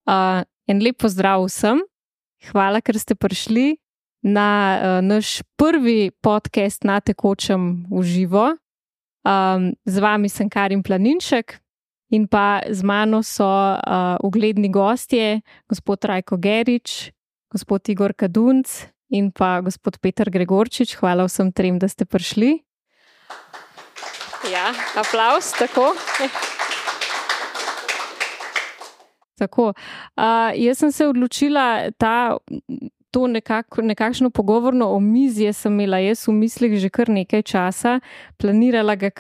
En lep pozdrav vsem. Hvala, ker ste prišli na naš prvi podcast na tekočem v živo. Z vami sem Karin Planinšek in pa z mano so ugledni gostje, gospod Rajko Gerič, gospod Igor Kadunc in pa gospod Peter Gregorčič. Hvala vsem trem, da ste prišli. Ja, aplavz, tako. Tako, jaz sem se odločila to nekakšno pogovorno omizje sem imela jaz v mislih že kar nekaj časa, planirala ga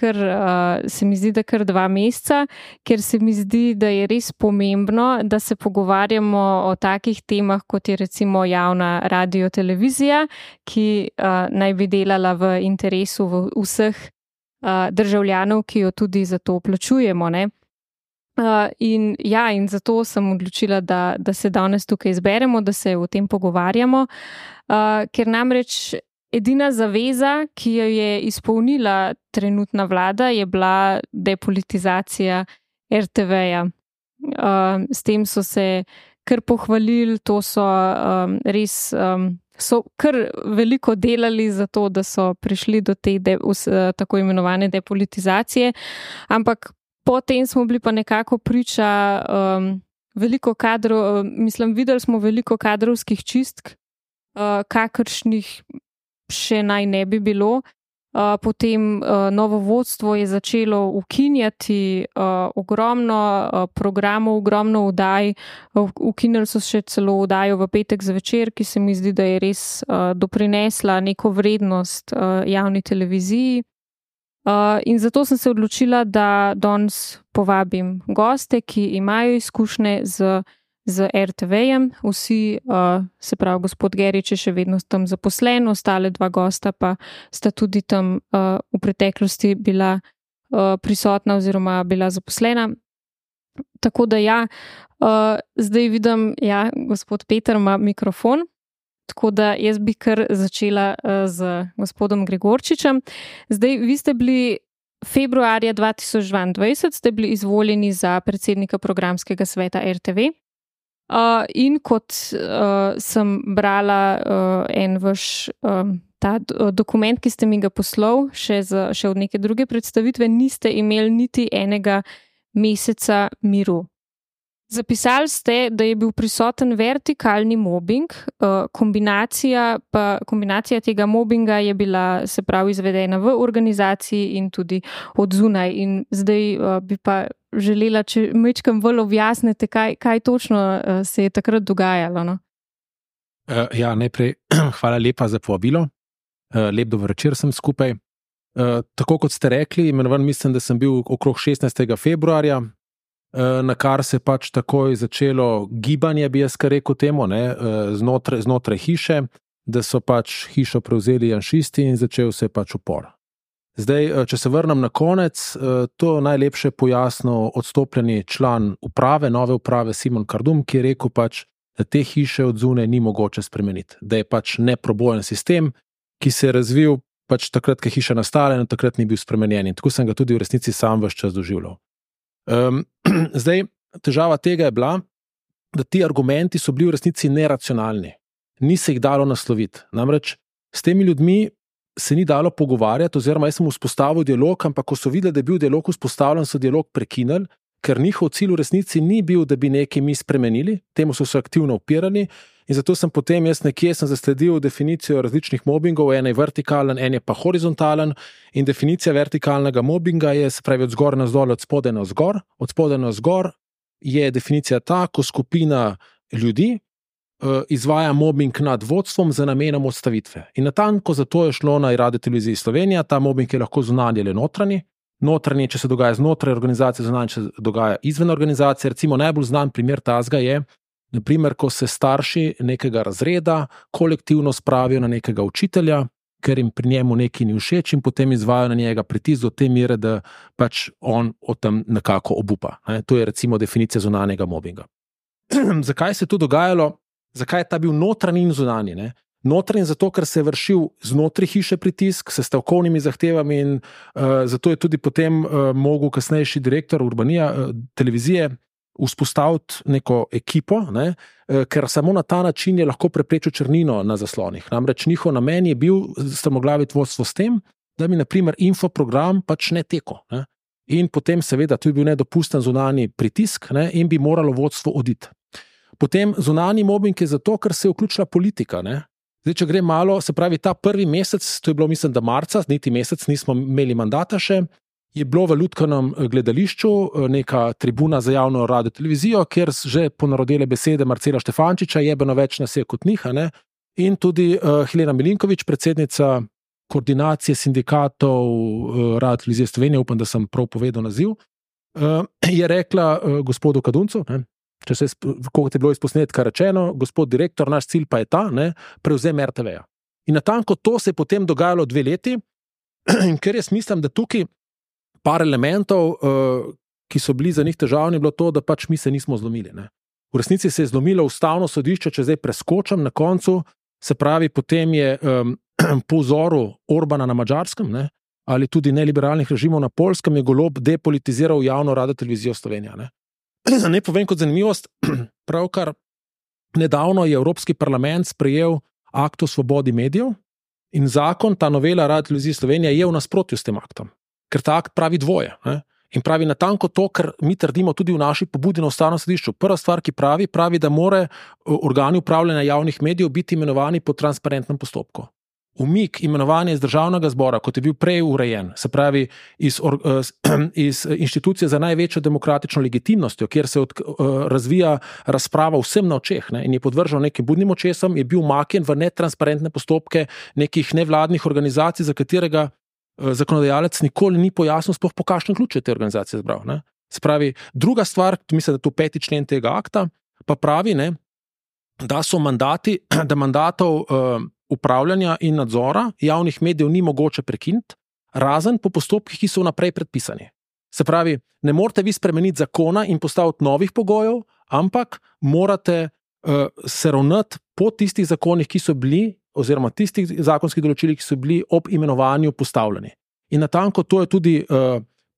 se mi zdi, da kar 2 meseca, ker se mi zdi, da je res pomembno, da se pogovarjamo o takih temah, kot je recimo javna radiotelevizija, ki naj bi delala v interesu vseh državljanov, ki jo tudi za to plačujemo, ne? In zato sem odločila, da se danes tukaj zberemo, da se o tem pogovarjamo, ker namreč edina zaveza, ki jo je izpolnila trenutna vlada, je bila depolitizacija RTV-ja. S tem so se kar pohvalili, to so res so kar veliko delali za to, da so prišli do te tako imenovane depolitizacije, ampak potem smo bili pa nekako priča videli smo veliko kadrovskih čistk, kakršnih še naj ne bi bilo. Potem novo vodstvo je začelo ukinjati ogromno programov, ogromno oddaj. Ukinili so še celo oddajo v petek zvečer, ki se mi zdi, da je res doprinesla neko vrednost javni televiziji. In zato sem se odločila, da danes povabim goste, ki imajo izkušnje z RTV-jem. Vsi, se pravi, gospod Gerič je še vedno tam zaposlen, ostale 2 gosta pa sta tudi tam v preteklosti bila prisotna oziroma bila zaposlena. Tako da zdaj vidim, gospod Peter ima mikrofon. Tako da jaz bi kar začela z gospodom Gregorčičem. Zdaj, vi ste bili februarja 2022, ste bili izvoljeni za predsednika programskega sveta RTV. In kot sem brala en vaš ta dokument, ki ste mi ga poslal, še od neke druge predstavitve, niste imeli niti enega meseca miru. Zapisali ste, da je bil prisoten vertikalni mobbing, kombinacija tega mobbinga je bila, se pravi, izvedena v organizaciji in tudi od zunaj. In zdaj bi pa želela, če majčkeno bolj objasnite, kaj točno se je takrat dogajalo. No? Najprej hvala lepa za povabilo. Lep dober večer sem skupaj. Tako kot ste rekli, imenovan mislim, da sem bil okrog 16. februarja, na kar se pač takoj začelo gibanje, bi jaz kar rekel temu, znotraj hiše, da so pač hišo prevzeli janšisti in začel se pač upor. Zdaj, če se vrnem na konec, to najlepše pojasnil odstopljeni član uprave, nove uprave Simon Kardum, ki je rekel pač, da te hiše od zunaj ni mogoče spremeniti, da je pač neprobojen sistem, ki se je razvil pač takrat, ko je hiša nastala in takrat ni bil spremenjen. In tako sem ga tudi v resnici sam ves čas doživljal. Zdaj, težava tega je bila, da ti argumenti so bili v resnici neracionalni. Ni se jih dalo nasloviti. Namreč s temi ljudmi se ni dalo pogovarjati, oziroma jaz sem vzpostavil dialog, ampak ko so videli, da je bil dialog vzpostavljen, so dialog prekinili, ker njihov cilj v resnici ni bil, da bi nekaj mi spremenili, temu so se aktivno upirali. In zato sem potem sem zasledil definicijo različnih mobbingov, en je vertikalen, en je pa horizontalen, in definicija vertikalnega mobbinga je, se pravi, od zgor na zdol, od spodaj na vzgor. Od spodaj na vzgor je definicija ta, ko skupina ljudi izvaja mobbing nad vodstvom za namenom odstavitve. In natanko zato je šlo na Radioteleviziji Slovenija, ta mobbing je lahko zunanji ali notranji. Notranji, če se dogaja znotraj organizacije, zunanji, če se dogaja izven organizacije. Recimo najbolj znan primer tazga je, naprimer, ko se starši nekega razreda kolektivno spravijo na nekega učitelja, ker jim pri njemu nekaj ni všeč in potem izvajajo na njega pritisk do te mere, da pač on o tem nekako obupa. To je recimo definicija zunanjega mobbinga. Zakaj se je to dogajalo? Zakaj je ta bil notranji in zunanji? Notranji zato, ker se je vršil znotraj hiše pritisk s stavkovnimi zahtevami in zato je tudi potem mogel kasnejši direktor Urbanija televizije vzpostaviti neko ekipo, ne, ker samo na ta način je lahko preprečil črnino na zaslonih. Namreč njihov namen je bil strmoglaviti vodstvo s tem, da bi naprimer infoprogram pač ne tekel. Ne. In potem seveda tu je bil nedopusten zunanji pritisk, ne, in bi moralo vodstvo oditi. Potem zunanji mobbing je zato, ker se je vključila politika. Ne. Zdaj, če gre malo, se pravi ta prvi mesec, to je bilo mislim, da marca, niti mesec nismo imeli mandata še, je bilo v Ljudkanem gledališču neka tribuna za javno radio televizijo, kjer že ponarodile besede Marcela Štefančiča, jebeno več nas je kot njih, ne? In tudi Helena Milinković, predsednica koordinacije sindikatov Radio televizije Slovenije, upam, da sem prav povedal naziv, je rekla gospodu Kaduncu, ne? Če se koliko je bilo iz posnetka rečeno, gospod direktor, naš cilj pa je ta, ne? Prevzem RTV-ja. In natanko to se je potem dogajalo 2 leti, in ker jaz mislim, da tukaj par elementov, ki so bili za njih težavni, je bilo to, da pač mi se nismo zlomili. Ne. V resnici se je zlomilo Ustavno sodišče, če zdaj preskočam na koncu, se pravi, potem je po vzoru Orbana na Madžarskem, ne, ali tudi neliberalnih režimov na Poljskem, je Golob depolitiziral javno radio televizijo Slovenija. Ne. Ne povem kot zanimivost, pravkar nedavno je Evropski parlament sprejel akt o svobodi medijev in zakon, ta novela Radio televizije Slovenija je v nasprotju s tem aktom. Ker ta akt pravi dvoje. Ne? In pravi natanko to, kar mi trdimo tudi v naši pobudi na Ustavnem sodišču. Prva stvar, ki pravi, da more organi upravljanja javnih medijev biti imenovani po transparentnem postopku. Umik imenovanja iz državnega zbora, kot je bil prej urejen, se pravi iz inštitucije za največjo demokratično legitimnostjo, kjer se razvija razprava vsem na očeh, ne, in je podvržen nekim budnim očesom, je bil umaknjen v netransparentne postopke nekih nevladnih organizacij, za katerega zakonodajalec nikoli ni pojasnil, sploh po kakšnem ključu je te organizacije zbral. Ne. Se pravi, druga stvar, mislim, da to 5. člen tega akta, pa pravi, ne, da so mandati, da mandatov upravljanja in nadzora javnih medijev ni mogoče prekiniti, razen po postopkih, ki so vnaprej predpisani. Se pravi, ne morate vi spremeniti zakona in postaviti novih pogojev, ampak morate se ravnati po tistih zakonih, ki so bili, oziroma tistih zakonskih določilih, ki so bili ob imenovanju postavljeni. In natanko to je tudi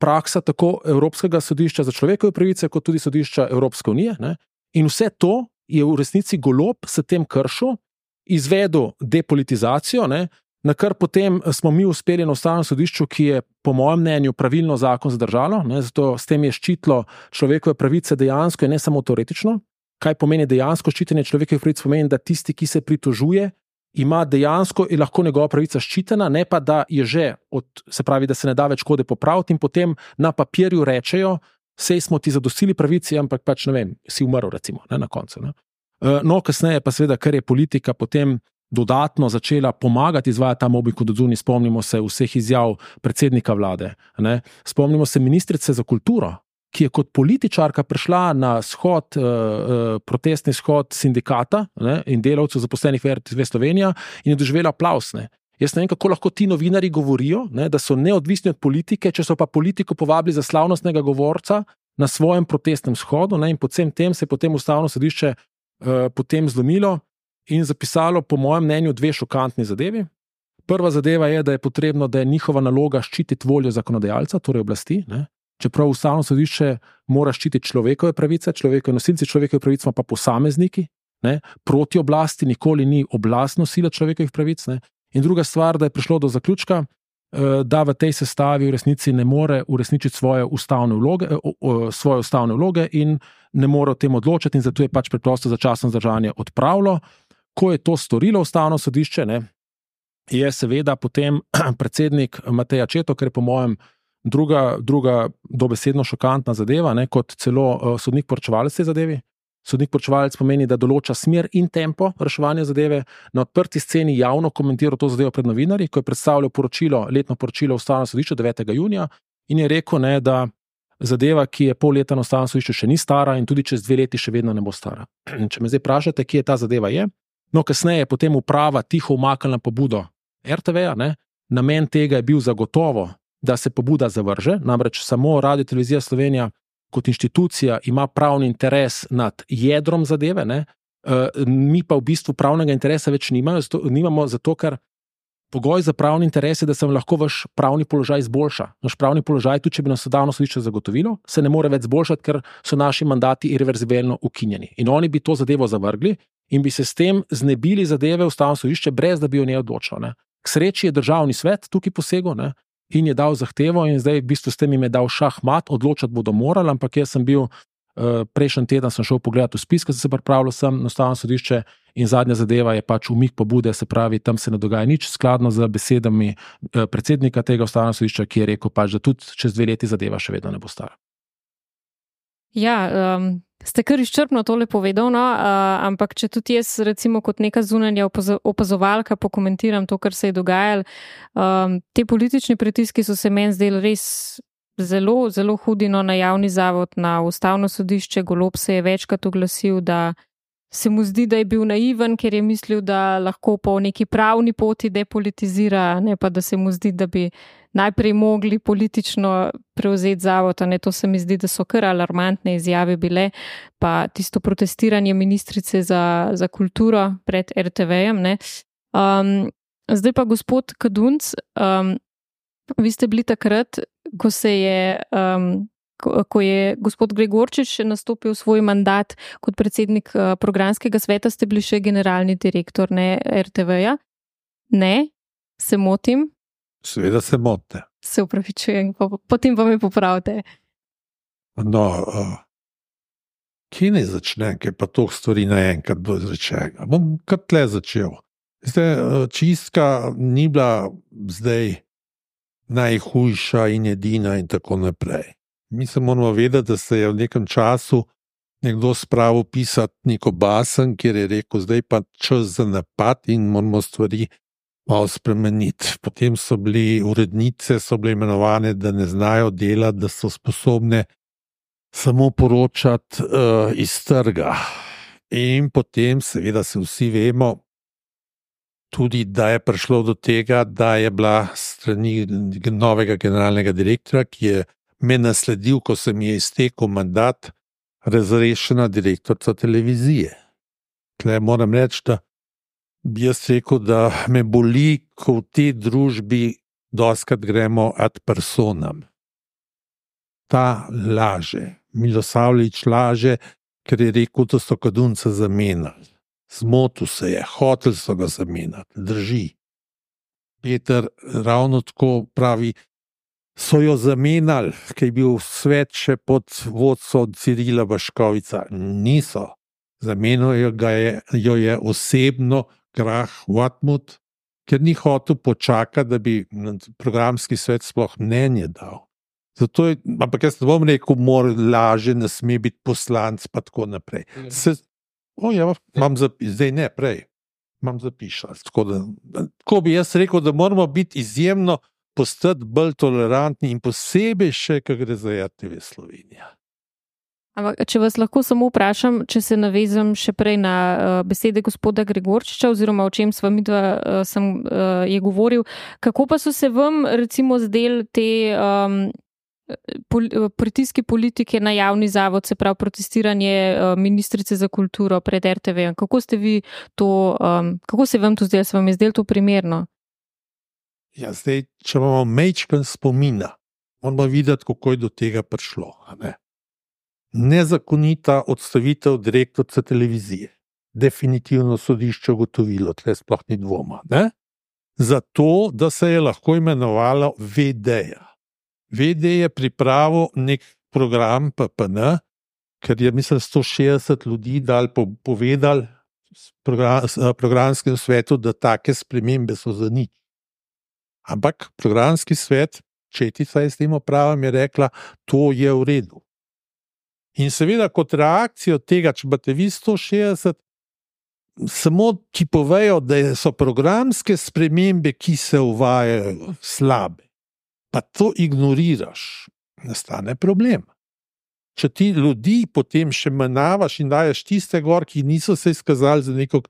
praksa tako Evropskega sodišča za človekove pravice, kot tudi sodišča Evropske unije. Ne? In vse to je v resnici Golob s tem kršil, izvedel depolitizacijo, ne? Na kar potem smo mi uspeli na Ustavnem sodišču, ki je po mojem mnenju pravilno zakon zadržalo, ne? Zato s tem je ščitilo človekove pravice dejansko in ne samo teoretično. Kaj pomeni dejansko ščitenje človekovih pravic? Pomeni, da tisti, ki se pritožuje, ima dejansko in lahko njegova pravica ščitena, ne pa da je že, se pravi, da se ne da več škode popraviti in potem na papirju rečejo, sej smo ti zadostili pravici, ampak pač ne vem, si umrl recimo, ne, na koncu. Ne. No, kasneje pa seveda, ker je politika potem dodatno začela pomagati izvajati ta mobbing kot odzuni, spomnimo se vseh izjav predsednika vlade, ne. Spomnimo se ministrice za kulturo, ki je kot političarka prišla na shod, protestni shod sindikata, ne, in delavcev zaposlenih v RTV Slovenija in je doživela aplavz. Ne. Jaz ne vem, kako lahko ti novinari govorijo, ne, da so neodvisni od politike, če so pa politiko povabili za slavnostnega govorca na svojem protestnem shodu, ne, in po vsem tem se je potem Ustavno sodišče potem zlomilo in zapisalo po mojem mnenju 2 šokantni zadevi. Prva zadeva je, da je potrebno, da je njihova naloga ščititi voljo zakonodajalca, torej oblasti, ne. Čeprav Ustavno sodišče mora ščititi človekove pravice, nosilci človekovih pravic smo pa posamezniki, ne, proti oblasti, nikoli ni oblast nosila človekovih pravic. Ne. In druga stvar, da je prišlo do zaključka, da v tej sestavi v resnici ne more uresničiti svoje ustavne vloge in ne more o tem odločiti in zato je pač preprosto začasno zadržanje odpravilo. Ko je to storilo Ustavno sodišče, ne, je seveda potem predsednik Matej Accetto, ker je po mojem druga dobesedno šokantna zadeva, ne, kot celo sodnik poročevalec te zadevi. Sodnik poročevalec pomeni, da določa smer in tempo reševanja zadeve, na odprti sceni javno komentiral to zadevo pred novinarji, ko je predstavljal letno poročilo Ustavnega sodišča 9. junija in je rekel, ne, da zadeva, ki je pol leta na Ustavnem sodišču, še ni stara in tudi čez 2 leti še vedno ne bo stara. In če me zdaj vprašate, kje ta zadeva je, no kasneje je potem uprava tiho umaknila pobudo RTV-ja, ne, namen tega je bil zagotovo, da se pobuda zavrže, namreč samo Radio televizija Slovenija kot inštitucija ima pravni interes nad jedrom zadeve, ne? Mi pa v bistvu pravnega interesa več nimamo, zato ker pogoj za pravni interes je, da se vam lahko vaš pravni položaj izboljša. Naš pravni položaj, tudi če bi nas Ustavno sodišče zagotovilo, se ne more več izboljšati, ker so naši mandati irreverzibilno ukinjeni. In oni bi to zadevo zavrgli in bi se s tem znebili zadeve Ustavno sodišče, brez da bi o njej odločilo. Ne. K sreči je Državni svet tukaj posegel, ne, in je dal zahtevo in zdaj v bistvu s tem jim je dal šahmat, odločati bodo morali, ampak jaz sem bil prejšnji teden sem šel pogledati v spis, ko sem se pripravljal sem na Ustavno sodišče in zadnja zadeva je pač umik pobude, se pravi, tam se ne dogaja nič, skladno z besedami predsednika tega Ustavnega sodišča, ki je rekel pač, da tudi čez 2 leti zadeva še vedno ne bo stala. Ja, ste kar izčrpno tole povedal, no, ampak če tudi jaz recimo kot neka zunanja opazovalka pokomentiram to, kar se je dogajalo, te politični pritiski so se meni zdeli res zelo, zelo hudi, no, na javni zavod, na Ustavno sodišče. Golob se je večkrat oglasil, da se mu zdi, da je bil naiven, ker je mislil, da lahko po neki pravni poti depolitizira, ne pa da se mu zdi, da bi najprej mogli politično prevzeti zavod. Ne, to se mi zdi, da so kar alarmantne izjave bile, pa tisto protestiranje ministrice za kulturo pred RTV-jem. Zdaj pa gospod Kadunc, vi ste bili takrat, ko je gospod Gregorčič nastopil svoj mandat kot predsednik programskega sveta, ste bili še generalni direktor, ne, RTV-ja? Ne? Se motim? Seveda se motite. Se upravičujem, potem pa me popravite. No, kje ne začne, ker pa toh stvari naenkrat bo izrečenega. Bom kar tle začel. Čistka ni bila zdaj najhujša in edina in tako naprej. Mi se moramo vedeti, da se je v nekem času nekdo spravil pisati neko basen, kjer je rekel, zdaj pa čas za napad in moramo stvari malo spremeniti. Potem so bili urednice, so bile imenovane, da ne znajo delati, da so sposobne samo poročati iz trga. In potem seveda se vsi vemo, tudi da je prišlo do tega, da je bila strani novega generalnega direktorja, ki je me nasledil, ko se mi je iztekel mandat, razrešena direktorica televizije. Tle moram reči, da bi jaz rekel, da me boli, ko v tej družbi dostikrat gremo ad personam. Ta laže, Milosavljević laže, ker je rekel, da so Kadunca zamenjali. Zmotil se je, hotel so ga zamenjati, drži. Peter ravno tako pravi, so jo zamenjali, ker je bil svet še pod vodstvom Cirila Vaškovica. Niso. Zamenjal jo je osebno Grah Watmut, ker ni hotel počakati, da bi programski svet sploh mnenje dal. Zato je, ampak jaz ne bom rekel, mora laže, ne sme biti poslanc, pa tako naprej. Imam zdaj ne, prej. Imam zapišati. Tako bi jaz rekel, da moramo biti izjemno postati bolj tolerantni in posebej še, ko gre za RTV Slovenija. Ampak, če vas lahko samo vprašam, če se navezam še prej na besede gospoda Gregorčiča, oziroma o čem sva midva je govoril, kako pa so se vam recimo zdeli te pritiski politike na javni zavod, se pravi protestiranje ministrice za kulturo pred RTV? Kako ste vi to, kako se vam to zdelo? Se vam je zdelo to primerno? Ja, zdaj, če imamo majčken spomina, moramo videti, kako je do tega prišlo. Nezakonita odstavitev direktorice televizije. Definitivno sodišče ugotovilo, tle sploh ni dvoma. Zato, da se je lahko imenovalo VD-ja. VD je pripravil nek program PPN, ker je, mislim, 160 ljudi dal povedali programskem svetu, da take spremembe so za nič. Ampak programski svet, Četica je s tem opravom, je rekla, to je v redu. In seveda kot reakcijo tega, če imate vi 160, samo ti povejo, da so programske spremembe, ki se uvajajo, slabe. Pa to ignoriraš, nastane problem. Če ti ljudi potem še menavaš in daješ tiste gor, ki niso se izkazali za neko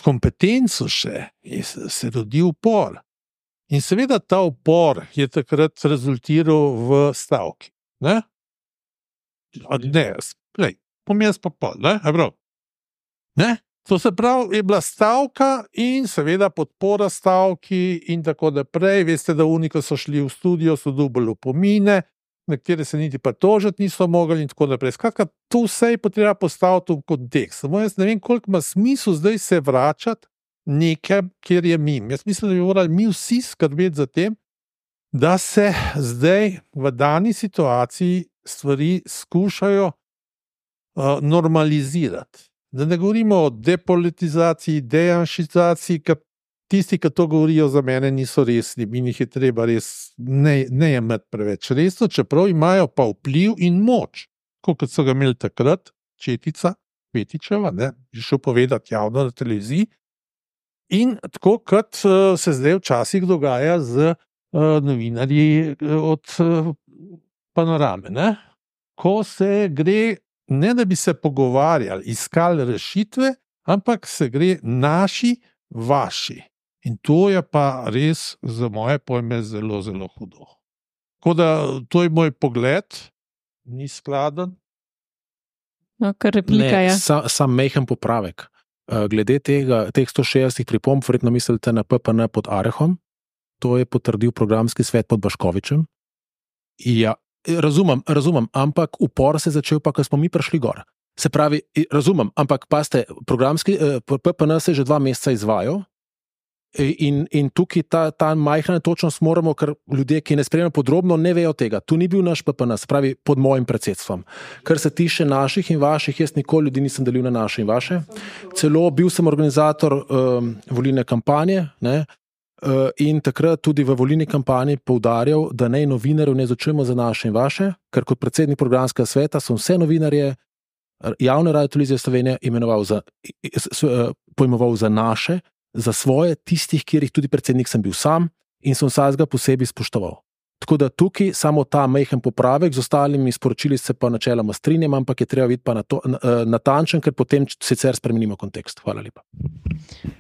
kompetenco še, se rodi upor. In seveda ta upor je takrat rezultiral v stavki. Ne, pom jaz pa pol, ne? To se pravi, je bila stavka in seveda podpora stavki in tako naprej. Veste, da oni, ko so šli v studio, so dobili opomine, nekateri se niti pritožiti niso mogli in tako naprej. Skratka, to vse je potreba postaviti v kontekst. Samo jaz ne vem, koliko ima smisel zdaj se vračati nekaj, kjer je mim. Jaz mislim, da bi morali mi vsi skrbeti za tem, da se zdaj v dani situaciji stvari skušajo normalizirati. Da ne govorimo o depolitizaciji, dejanšizaciji, ker tisti, ki to govorijo, za mene niso resni in jih je treba res ne jemati preveč resno, čeprav imajo pa vpliv in moč, kot so ga imeli takrat Četica, Petičeva, je šel povedati javno na televiziji, in tako kot se zdaj včasih dogaja z novinarji od Panorame, ko se gre, ne da bi se pogovarjali, iskali rešitve, ampak se gre naši, vaši. In to je pa res za moje pojme zelo, zelo hudo. Tako da to je moj pogled, ni skladen. No, kar replika je. Sam mehen popravek. Glede teh 160 pripomb, verjetno mislite na PPN pod Arehom, to je potrdil programski svet pod Baškovičem. Ja, razumem, ampak upor se je začel pa, ko smo mi prišli gor. Se pravi, razumem, ampak paste, programski PPN se že 2 meseca izvajal in tukaj ta majhna točnost moramo, ker ljudje, ki ne spremljajo podrobno, ne vejo tega. Tu ni bil naš PPN, se pravi pod mojim predsedstvom. Kar se tiče naših in vaših, jaz nikoli ljudi nisem delil na naše in vaše. Celo bil sem organizator volilne kampanje, in takrat tudi v volilni kampanji poudarjal, da naj novinarjev ne začujemo za naše in vaše, ker kot predsednik programskega sveta sem vse novinarje javne radiotelevizije Slovenije pojmoval za naše, za svoje, tistih, kjer jih tudi predsednik sem bil sam in sem vsakega posebej spoštoval. Tako da tukaj samo ta majhen popravek, z ostalimi sporočili se pa načeloma strinjam, ampak je treba biti pa natančen, ker potem sicer spremenimo kontekst. Hvala lepa.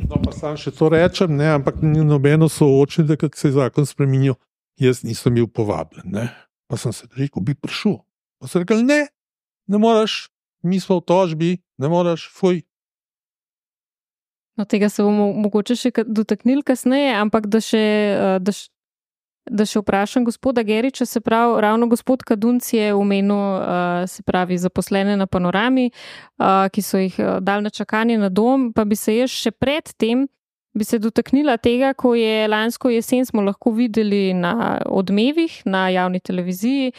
No, pa sam še to rečem, ampak ni nobeno soočenje, da se je zakon spremenil, jaz nisem bil povabljen. Pa sem se rekel, bi prišel. Pa sem rekel, ne moraš, mi smo v tožbi, ne moraš, fuj. No, tega se bomo mogoče še dotaknili kasneje, ampak da še vprašam gospoda Geriča, se pravi, ravno gospod Kadunc je omenil, se pravi, zaposlene na Panorami, ki so jih dali na čakanje na dom, pa bi se jaz še pred tem bi se dotaknila tega, ko je lansko jesen smo lahko videli na Odmevih, na javni televiziji,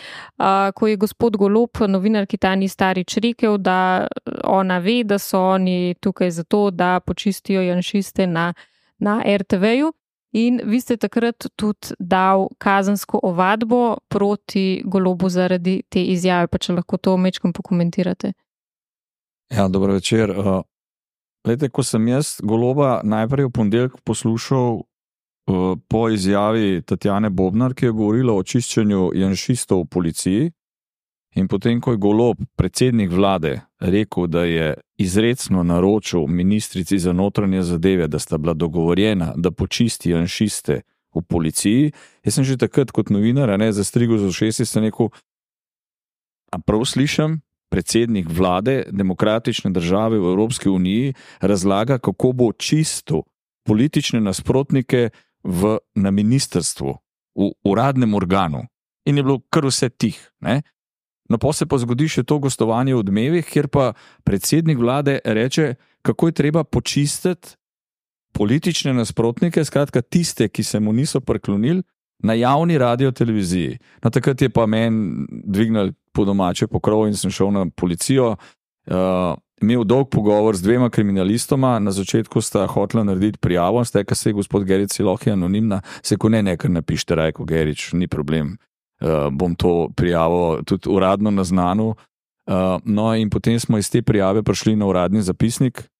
ko je gospod Golob, novinarki Tanji Starič, rekel, da ona ve, da so oni tukaj zato, da počistijo janšiste na RTV-ju. In vi ste takrat tudi dal kazensko ovadbo proti Golobu zaradi te izjave, pa če lahko to majčkeno pokomentirate. Ja, dobro večer. Glejte, ko sem jaz Goloba najprej v ponedeljek poslušal po izjavi Tatjane Bobnar, ki je govorila o čiščenju janšistov v policiji, in potem, ko je Golob, predsednik vlade, rekel, da je izrecno naročil ministrici za notranje zadeve, da sta bila dogovorjena, da počisti janšiste v policiji, jaz sem že takrat kot novinar, zastrigel za ušesi, sem rekel, a prav slišam, predsednik vlade demokratične države v Evropski uniji razlaga, kako bo čistil politične nasprotnike na ministrstvu, v uradnem organu. In je bilo kar vse tih. No, pa se pa zgodi še to gostovanje v Odmevih, kjer pa predsednik vlade reče, kako je treba počistiti politične nasprotnike, skratka tiste, ki se mu niso priklonili, na javni radioteleviziji. No, takrat je pa meni dvignil po domače pokrov in sem šel na policijo, imel dolg pogovor z 2 kriminalistoma, na začetku sta hotela narediti prijavo, steka se je gospod Gerič Siloh je anonimna, se ko nekaj napište, Rajko Gerič, ni problem, bom to prijavo tudi uradno naznanil. No in potem smo iz te prijave prišli na uradni zapisnik,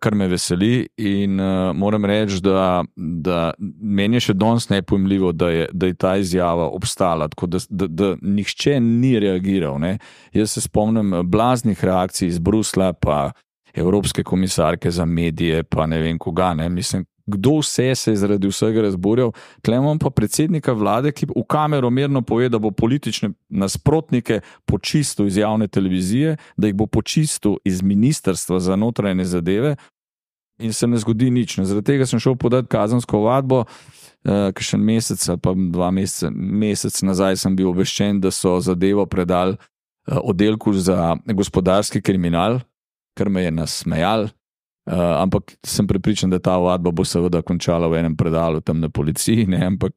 kar me veseli in moram reči, da meni je še danes nepojmljivo, da je ta izjava obstala, tako da nihče ni reagiral. Jaz se spomnim blaznih reakcij iz Bruslja, pa Evropske komisarke za medije, pa ne vem koga. Mislim, kdo vse se je zaradi vsega razburjal. Tle imamo pa predsednika vlade, ki v kamero mirno pove, da bo politične nasprotnike počistil iz javne televizije, da jih bo počistil iz ministrstva za notranje zadeve in se ne zgodi nič. Zaradi tega sem šel podati kazensko ovadbo, kakšen mesec ali pa 2 mesec nazaj sem bil obveščen, da so zadevo predali oddelku za gospodarski kriminal, kar me je nasmejal. Ampak sem prepričan, da ta ovadba bo seveda končala v enem predalu tam na policiji, ne? Ampak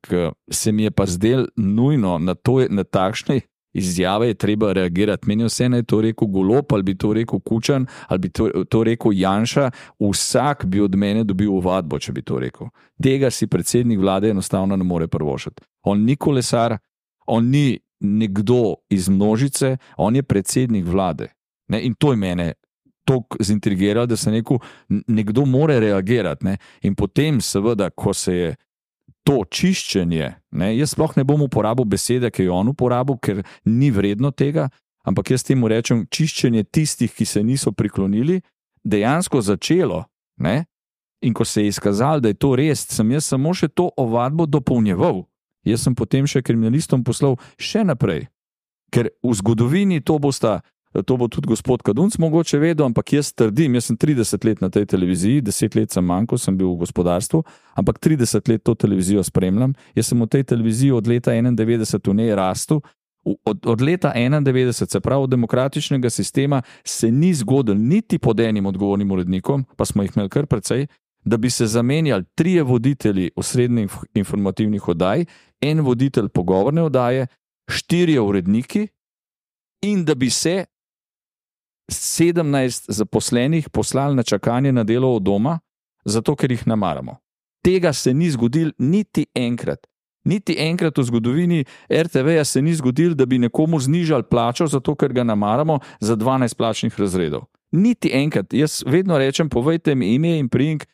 se mi je pa zdel nujno na takšne izjave je treba reagirati. Meni vse naj to rekel Golob, ali bi to rekel Kučan, ali bi to rekel Janša, vsak bi od mene dobil ovadbo, če bi to rekel. Tega si predsednik vlade enostavno ne more privoščiti. On ni kolesar, on ni nekdo iz množice, on je predsednik vlade. Ne? In to je mene toliko zintrigiralo, da se nekdo more reagirati. Ne? In potem seveda, ko se je to čiščenje, ne? Jaz sploh ne bom uporabil besede, ki jo on uporabil, ker ni vredno tega, ampak jaz temu rečem čiščenje tistih, ki se niso priklonili, dejansko začelo. Ne? In ko se je izkazalo, da je to res, sem jaz samo še to ovadbo dopolnjeval. Jaz sem potem še kriminalistom poslal še naprej. Ker v zgodovini to bo tudi gospod Kadunc mogoče vedel, ampak jaz trdim, jaz sem 30 let na tej televiziji, 10 let sem manjko, sem bil v gospodarstvu, ampak 30 let to televizijo spremljam. Jaz sem v tej televiziji od leta 91 v njej rastel. Od leta 91, se pravi od demokratičnega sistema, se ni zgodil niti pod enim odgovornim urednikom, pa smo jih imeli kar precej, da bi se zamenjali 3 voditelji osrednjih informativnih oddaj, 1 voditelj pogovorne oddaje, 4 uredniki in da bi se 17 zaposlenih poslali na čakanje na delo od doma, zato ker jih namaramo. Tega se ni zgodil niti enkrat. Niti enkrat v zgodovini RTV-ja se ni zgodil, da bi nekomu znižali plačo, zato ker ga namaramo za 12 plačnih razredov. Niti enkrat. Jaz vedno rečem, povejte mi ime in priimek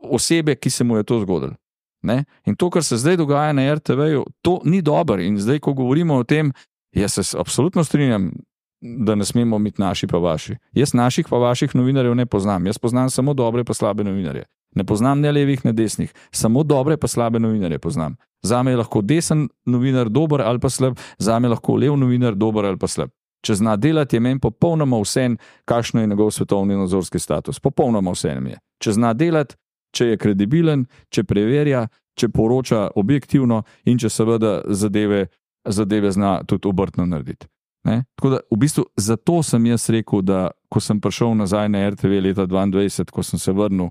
osebe, ki se mu je to zgodilo. Ne? In to, kar se zdaj dogaja na RTV-ju, to ni dobro. In zdaj, ko govorimo o tem, jaz se absolutno strinjam, da ne smemo biti naši pa vaši. Jaz naših pa vaših novinarjev ne poznam. Jaz poznam samo dobre pa slabe novinarje. Ne poznam ne levih, ne desnih. Samo dobre pa slabe novinarje poznam. Zame je lahko desen novinar dober ali pa slab, zame je lahko lev novinar dober ali pa slab. Če zna delati, je meni popolnoma vseeno, kakšno je njegov svetovni nadzorski status. Popolnoma vseeno mi je. Če zna delati, če je kredibilen, če preverja, če poroča objektivno in če seveda zadeve zna tudi obrtno narediti. Ne? Tako da v bistvu zato sem jaz rekel, da ko sem prišel nazaj na RTV leta 2022, ko sem se vrnil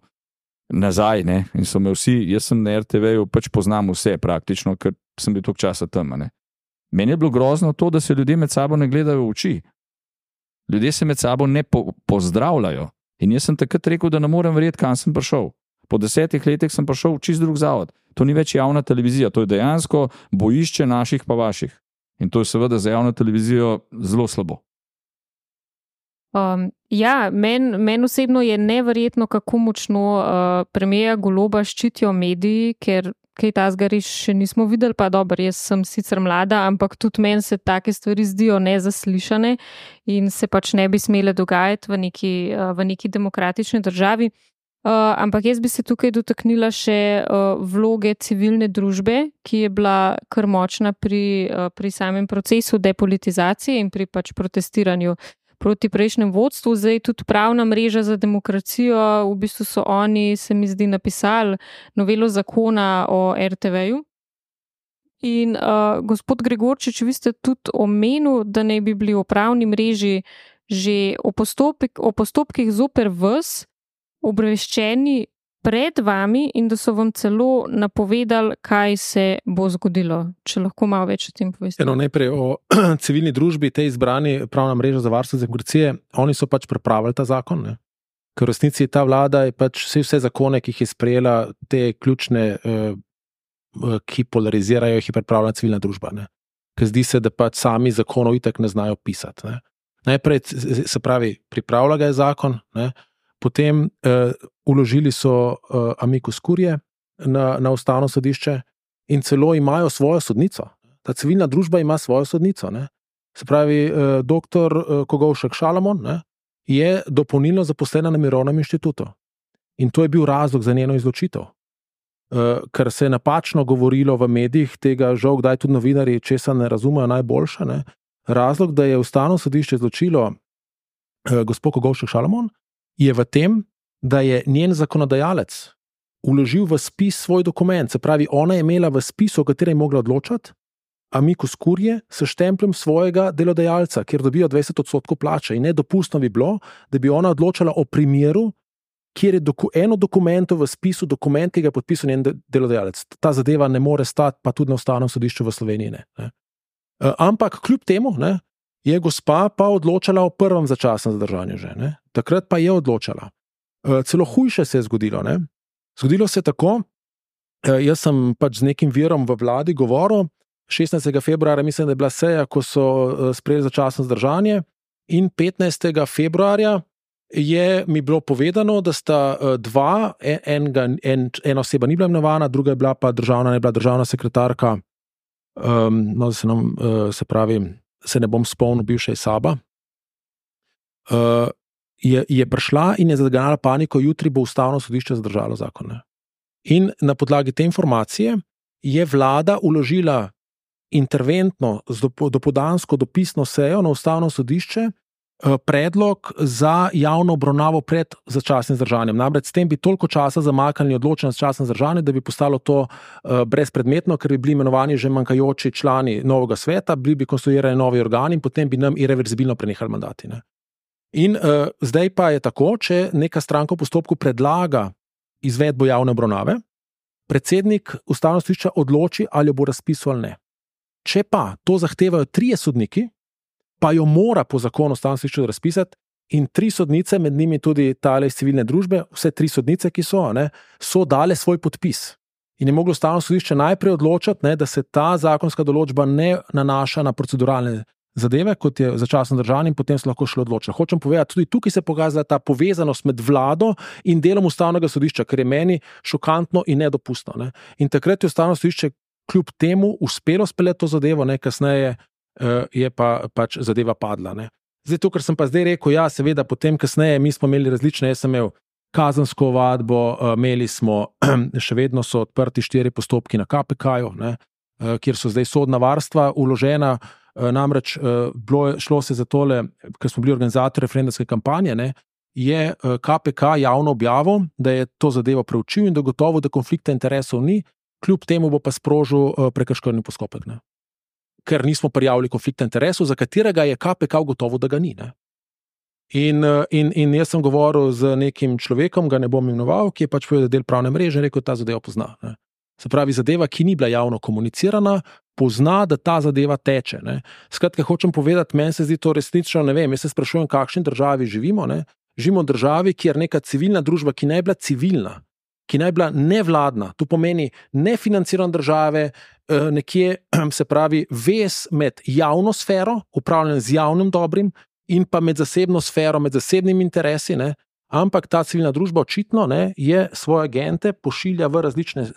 nazaj, ne? In so me vsi, jaz sem na RTV-ju pač poznam vse praktično, ker sem bil toliko časa tam. Ne? Meni je bilo grozno to, da se ljudje med sabo ne gledajo v oči. Ljudje se med sabo ne pozdravljajo. In jaz sem takrat rekel, da ne morem verjeti, kam sem prišel. Po 10 letih sem prišel v čist drug zavod. To ni več javna televizija, to je dejansko bojišče naših pa vaših. In to je seveda za javno televizijo zelo slabo. Ja, meni osebno je neverjetno, kako močno premierja Goloba ščitijo mediji, ker kaj tazga res še nismo videli, pa dobro, jaz sem sicer mlada, ampak tudi meni se take stvari zdijo nezaslišane in se pač ne bi smele dogajati v neki demokratični državi. Ampak jaz bi se tukaj dotaknila še vloge civilne družbe, ki je bila kar močna pri samem procesu depolitizacije in pri pač protestiranju proti prejšnjem vodstvu. Zdaj tudi Pravna mreža za demokracijo, v bistvu so oni, se mi zdi, napisali novelo zakona o RTV-ju. In gospod Gregorčič, vi ste tudi omenil, da naj bi bili v Pravni mreži že o postopkih zoper vas obveščeni pred vami in da so vam celo napovedali, kaj se bo zgodilo. Če lahko malo več o tem poveste. Najprej o civilni družbi, tej izbrani Pravna mreža za varstvo demokracije, oni so pač pripravili ta zakon, ne? Ker v resnici ta vlada je pač vse zakone, ki jih je sprejela, te ključne, ki polarizirajo, jih je pripravila civilna družba. Ne? Ker zdi se, da pač sami zakonov itak ne znajo pisati. Ne? Najprej, se pravi, pripravila ga je zakon, ne? Potem vložili so amicus curiae na ustavno sodišče in celo imajo svojo sodnico. Ta civilna družba ima svojo sodnico. Ne? Se pravi, doktor Kogovšek Šalamon, ne, je dopolnilno zaposlena na Mirovnem inštitutu. In to je bil razlog za njeno izločitev. ker se je napačno govorilo v medijih, tega žal kdaj tudi novinarji česa ne razumejo najboljše. Ne? Razlog, da je Ustavno sodišče izločilo gospod Kogovšek Šalamon, je v tem, da je njen zakonodajalec vložil v spis svoj dokument, se pravi, ona je imela v spisu, o katerem je mogla odločati, Amicus Curiae s štempljem svojega delodajalca, kjer dobijo 20% plače. In nedopustno bi bilo, da bi ona odločala o primeru, kjer je eno dokumentu v spisu, dokument, ki ga je podpisal njen delodajalec. Ta zadeva ne more stati, pa tudi na Ustavnem sodišču v Sloveniji ne. Ampak kljub temu je gospa pa odločala o prvem začasnem zadržanju že. Ne? Takrat pa je odločala. Celo hujše se je zgodilo. Ne? Zgodilo se je tako, jaz sem pač z nekim virom v vladi govoril, 16. februarja mislim, da je bila seja, ko so sprejeli začasno zadržanje, in 15. februarja je mi bilo povedano, da sta dva, ena oseba ni bila imenovana, druga je bila pa državna sekretarka, no, se pravi, se ne bom spomnil, bivša iz SAB-a, je prišla in je zagnala paniko, jutri bo Ustavno sodišče zadržalo zakon. In na podlagi te informacije je vlada vložila interventno, dopoldansko dopisno sejo na Ustavno sodišče predlog za javno obravnavo pred začasnim zdržanjem. Namreč s tem bi toliko časa zamaknili odločanje za začasno zdržanje, da bi postalo to brezpredmetno, ker bi bili imenovani že manjkajoči člani novega sveta, bili bi konstruirani novi organi in potem bi nam irreverzibilno prenehali mandati. Ne? In zdaj pa je tako, če neka stranka v postopku predlaga izvedbo javne obravnave, predsednik Ustavnega sodišča odloči, ali jo bo razpisal ali ne. Če pa to zahtevajo 3 sodniki, pa jo mora po zakonu Ustavno sodišče razpisati, in 3 sodnice, med njimi tudi tale iz civilne družbe, vse 3 sodnice, ki so dale svoj podpis. In je moglo Ustavno sodišče najprej odločiti, da se ta zakonska določba ne nanaša na proceduralne zadeve, kot je začasno zdržanje, in potem se lahko šlo odločiti. Hočem povedati, tudi tukaj se pokazala ta povezanost med vlado in delom Ustavnega sodišča, kar je meni šokantno in nedopustno. Ne. In takrat je Ustavno sodišče kljub temu uspelo speljati to zadevo, kasneje je pač zadeva padla. Ne. Zdaj to, kar sem pa zdaj rekel, ja, seveda potem kasneje mi smo imeli različne, jaz sem imel kazensko ovadbo, imeli smo, še vedno so odprti 4 postopki na KPK-ju, kjer so zdaj sodna varstva vložena, namreč šlo se za tole, ker smo bili organizatorji referendumske kampanje, je KPK javno objavil, da je to zadevo preučil in da gotovo, da konflikta interesov ni, kljub temu bo pa sprožil prekrškovni postopek. Ne. Ker nismo prijavili konflikta interesov, za katerega je KPK gotovo, da ga ni. Ne. In jaz sem govoril z nekim človekom, ga ne bom imenoval, ki je pač povedal del pravne mreže in rekel, da ta zadeva pozna. Ne. Se pravi, zadeva, ki ni bila javno komunicirana, pozna, da ta zadeva teče. Ne. Skratka, hočem povedati, meni se zdi to resnično, ne vem, jaz se sprašujem, v kakšni državi živimo. Ne. Živimo v državi, kjer neka civilna družba, ki naj bila civilna, ki naj bila nevladna, to pomeni nefinancirane države, nekje, se pravi, vez med javno sfero, upravljanje z javnim dobrim, in pa med zasebno sfero, med zasebnimi interesi, ampak ta civilna družba očitno je svoje agente pošilja v različne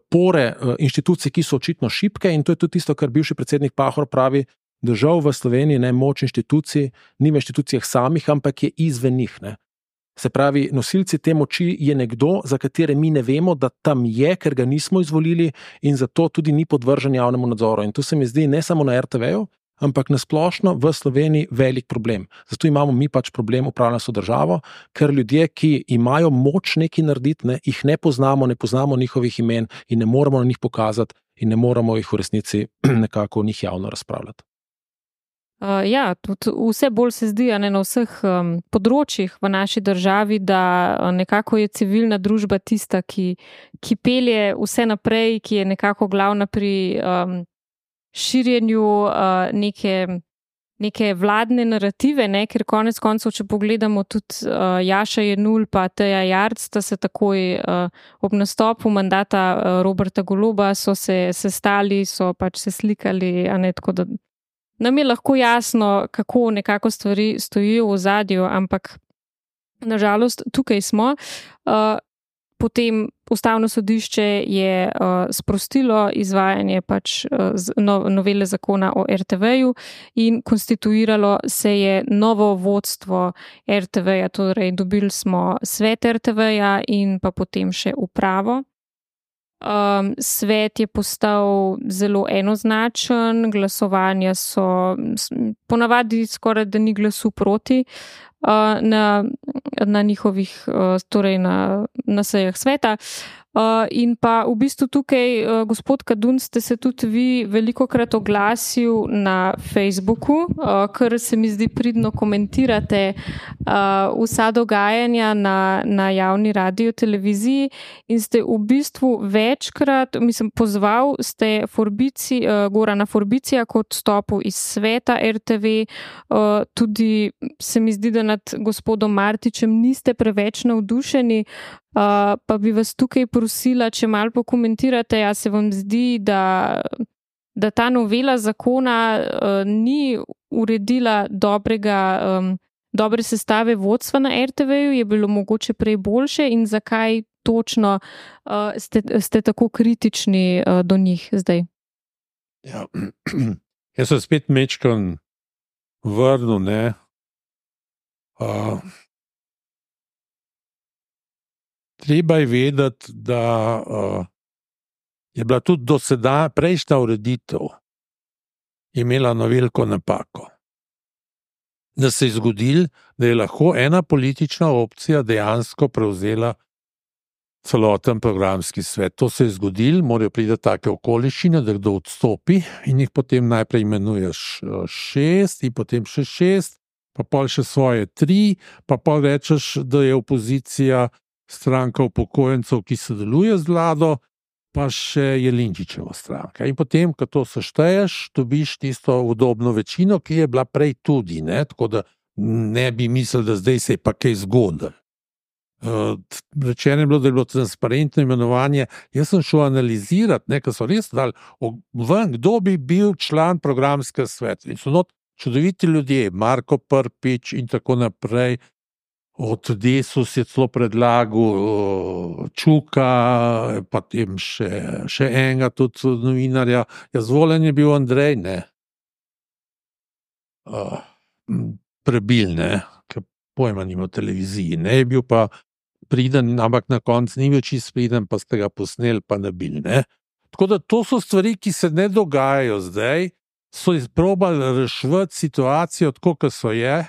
pore inštitucij, ki so očitno šibke, in to je tudi tisto, kar bivši predsednik Pahor pravi, da žal v Sloveniji moč inštitucij ni v inštitucijah samih, ampak je izven njih. Se pravi, nosilci te moči je nekdo, za katere mi ne vemo, da tam je, ker ga nismo izvolili in zato tudi ni podvržen javnemu nadzoru. In to se mi zdi ne samo na RTV-ju, ampak nasplošno v Sloveniji velik problem. Zato imamo mi pač problem upravljanja s državo, ker ljudje, ki imajo moč nekaj narediti, jih ne poznamo njihovih imen in ne moramo na njih pokazati in ne moramo jih v resnici nekako o njih javno razpravljati. Ja, tudi vse bolj se zdi na vseh področjih v naši državi, da nekako je civilna družba tista, ki pelje vse naprej, ki je nekako glavna pri širjenju neke vladne narative, ker konec koncev, če pogledamo tudi Jaša Jenull pa Teja Jarc, sta se takoj ob nastopu mandata Roberta Goloba so se sestali, so pač se slikali, tako da nam je lahko jasno, kako nekako stvari stojijo v ozadju, ampak nažalost tukaj smo. Potem Ustavno sodišče je sprostilo izvajanje pač novele zakona o RTV-ju in konstituiralo se je novo vodstvo RTV-ja, torej dobili smo svet RTV-ja in pa potem še upravo. Svet je postal zelo enoznačen, glasovanja so ponavadi skoraj da ni glasu proti na njihovih, torej na sejah sveta. In pa v bistvu tukaj, gospod Kadun, ste se tudi vi velikokrat oglasil na Facebooku, ker se mi zdi pridno komentirate vsa dogajanja na javni radio televiziji in ste v bistvu večkrat, pozval ste Gorana Forbicija k odstopu iz sveta RTV, tudi se mi zdi, da nad gospodom Martičem niste preveč navdušeni. Pa bi vas tukaj prosila, če malo pokomentirate, a se vam zdi, da ta novela zakona ni uredila dobre sestave vodstva na RTV-ju, je bilo mogoče prej boljše in zakaj točno ste tako kritični do njih zdaj? Ja. Jaz sem spet mečkan vrnil, ne. Treba je vedeti, da je bila tudi do sedaj prejšnja ureditev imela eno veliko napako. Da se je zgodilo, da je lahko ena politična opcija dejansko prevzela celoten programski svet. To se je zgodilo, morajo priti take okoliščine, da kdo odstopi in jih potem najprej imenuješ 6 in potem še 6, pa pol še svoje 3, pa pol rečeš, da je opozicija stranka upokojencev, ki sodeluje z vlado, pa še Jelinčičeva stranka. In potem, ko to sešteješ, dobiš tisto udobno večino, ki je bila prej tudi, ne? Tako da ne bi mislil, da zdaj se je pa kaj zgodilo. Rečeno je bilo, da je bilo transparentno imenovanje. Jaz sem šel analizirati, ker so res dali ven, kdo bi bil član programskega sveta. In so not čudoviti ljudje, Marko Prpič in tako naprej. Od Desus je celo predlagal Čuka, pa tem še enega tudi novinarja. Ja, zvoljen je bil Andrej, ne. Prebil, ne, ker pojma nima v televiziji, ne, je bil pa priden, ampak na koncu ni bil čist priden, pa ste ga posneli, pa nabil, ne. Tako da to so stvari, ki se ne dogajajo zdaj, so izprobali reševati situacijo tako, kot so je.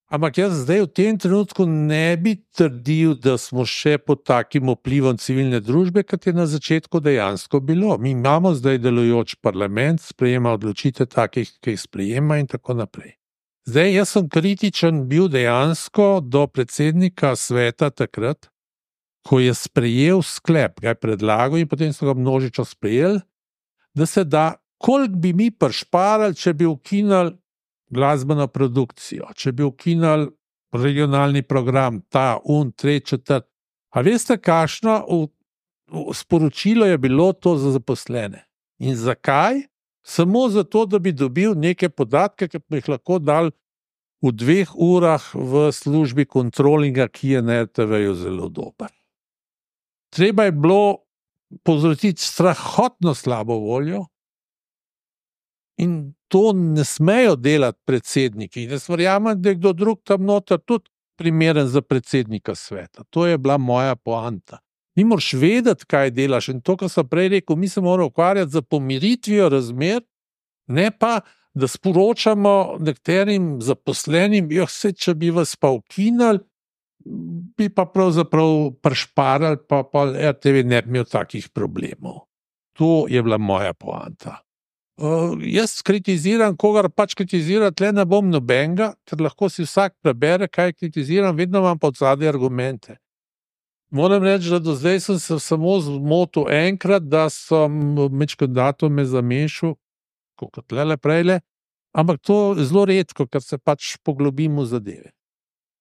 Ampak jaz zdaj v tem trenutku ne bi trdil, da smo še pod takim vplivom civilne družbe, kot je na začetku dejansko bilo. Mi imamo zdaj delujoč parlament, sprejema odločitev takih, ki jih sprejema in tako naprej. Zdaj, jaz sem kritičen bil dejansko do predsednika sveta takrat, ko je sprejel sklep, ga je predlagal in potem so ga množično sprejeli, da se da, koliko bi mi prišparali, če bi ukinili glasbeno produkcijo, če bi ukinili regionalni program, tretji, četrti. A veste, kakšno sporočilo je bilo to za zaposlene? In zakaj? Samo zato, da bi dobil neke podatke, ki bi jih lahko dal v 2 urah v službi kontrolinga, ki je na RTV-ju zelo dober. Treba je bilo povzročiti strahotno slabo voljo in to ne smejo delati predsedniki. Jaz verjamem, da je kdo drug tam noter tudi primeren za predsednika sveta. To je bila moja poanta. Ti moraš vedeti, kaj delaš in to, kar sem prej rekel, mi se moramo ukvarjati za pomiritvijo razmer, ne pa, da sporočamo nekaterim zaposlenim, če bi vas pa ukinili, bi pa pravzaprav prišparali, pa RTV ne bi imel takih problemov. To je bila moja poanta. Jaz kritiziram, kogar pač kritizira, tle ne bom nobenega, ker lahko si vsak prebere, kaj kritiziram, vedno imam pa odzadaj argumente. Moram reči, da do zdaj sem se samo zmotil enkrat, da sem med datume zamešal, kot tlele prejle, ampak to je zelo redko, ker se pač poglobim v zadeve.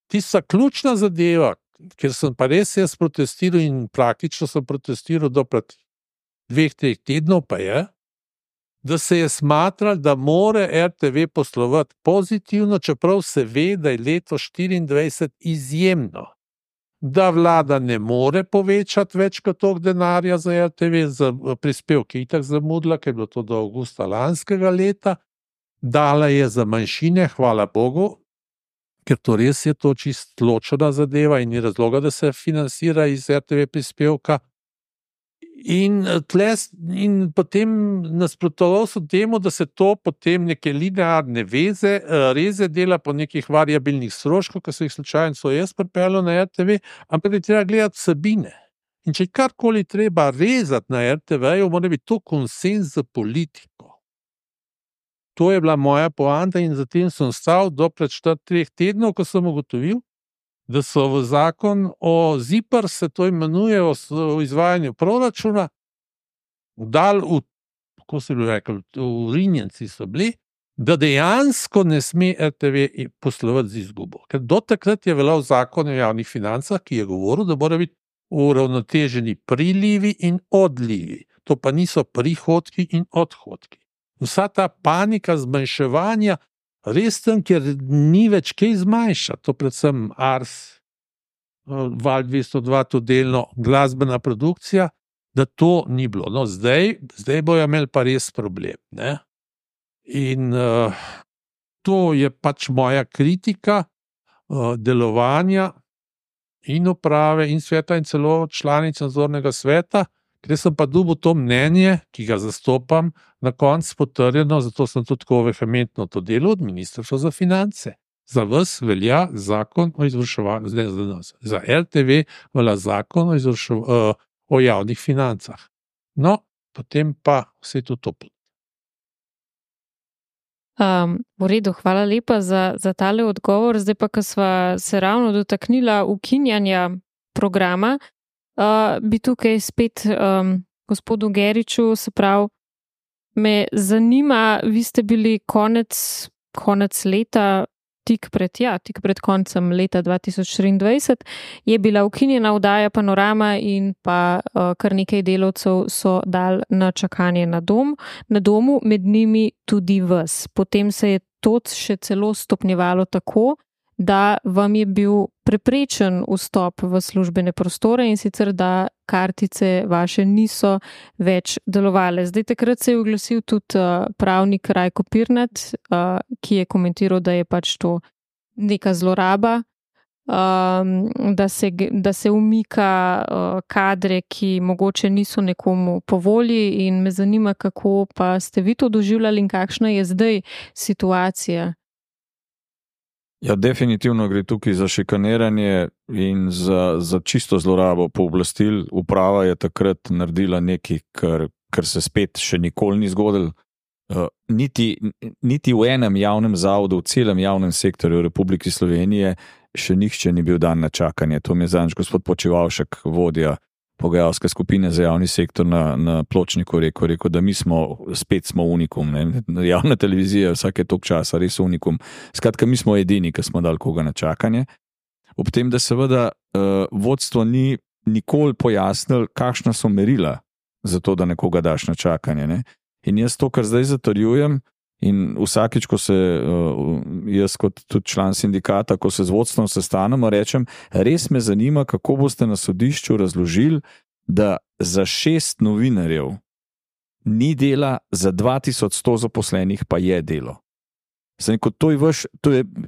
Tista ključna zadeva, ker sem pa res jaz protestiral in praktično sem protestiral do pred 2-3 tednov, pa je, da se je smatralo, da more RTV poslovati pozitivno, čeprav se ve, da je leto 24 izjemno. Da vlada ne more povečati več kot toliko denarja za RTV, za prispevke itak zamudila, ker je bilo to do avgusta lanskega leta, dala je za manjšine, hvala Bogu, ker to res je to čist ločena zadeva in ni razloga, da se financira iz RTV prispevka. In potem nasprotoval so temu, da se to potem neke linearne reze dela po nekih variabilnih stroškov, ki so jih slučajno jaz pripeljal na RTV, ampak je treba gledati vsebine. In če karkoli treba rezati na RTV-ju, mora biti to konsenz za politiko. To je bila moja poanta in zatem sem stal do pred 3 tednov, ko sem ugotovil, da so v zakon o ZIPR, se to imenuje, o izvajanju proračuna, kako se bi rekel, vrinjenci so bili, da dejansko ne sme RTV poslovati z izgubo. Ker do takrat je veljal zakon o javnih financah, ki je govoril, da mora biti uravnoteženi prilivi in odlivi. To pa niso prihodki in odhodki. Vsa ta panika zmanjševanja, res tam, ker ni več kaj zmanjšati, to predvsem Ars, Val 202, to delno glasbena produkcija, da to ni bilo. No, zdaj bojo imeli pa res problem. Ne? In to je pač moja kritika delovanja in uprave in sveta in celo članic nadzornega sveta, ker sem pa dobil to mnenje, ki ga zastopam, na koncu potrjeno, zato sem tudi tako vehementno to delal od Ministrstva za finance. Za vas velja zakon o izvrševanju, za RTV velja zakon o javnih financah. No, potem pa vse to toplo. V redu, hvala lepa za tale odgovor. Zdaj pa, ko sva se ravno dotaknila ukinjanja programa, bi tukaj spet gospodu Geriču, se pravi, me zanima, vi ste bili konec leta, tik pred koncem leta 2023, je bila ukinjena oddaja Panorama in pa kar nekaj delavcev so dali na čakanje na domu, med njimi tudi vas. Potem se je to še celo stopnjevalo tako, da vam je bil preprečen vstop v službene prostore in sicer, da kartice vaše niso več delovale. Zdaj takrat se je oglasil tudi pravnik Rajko Pirnat, ki je komentiral, da je pač to neka zloraba, da se umika kadre, ki mogoče niso nekomu po volji, in me zanima, kako pa ste vi to doživljali in kakšna je zdaj situacija. Ja, definitivno gre tukaj za šikaniranje in za čisto zlorabo pooblastil. Uprava je takrat naredila nekaj, kar se spet še nikoli ni zgodilo. Niti v enem javnem zavodu, v celem javnem sektorju Republike Slovenije še nihče ni bil dan na čakanje. To mi je zadnjič gospod Počivalšek, vodja pogajalske skupine za javni sektor na Pločniku rekel, da mi smo unikum. Ne? Javna televizija vsake toliko časa res unikum. Skratka, mi smo edini, ki smo dali koga na čakanje. Ob tem, da seveda vodstvo ni nikoli pojasnilo, kakšna so merila za to, da nekoga daš na čakanje. Ne? In jaz to, kar zdaj zatrjujem, in vsakič, ko se jaz kot tudi član sindikata, ko se z vodstvom sestanemo, rečem, res me zanima, kako boste na sodišču razložili, da za 6 novinarjev ni dela, za 2100 zaposlenih pa je delo.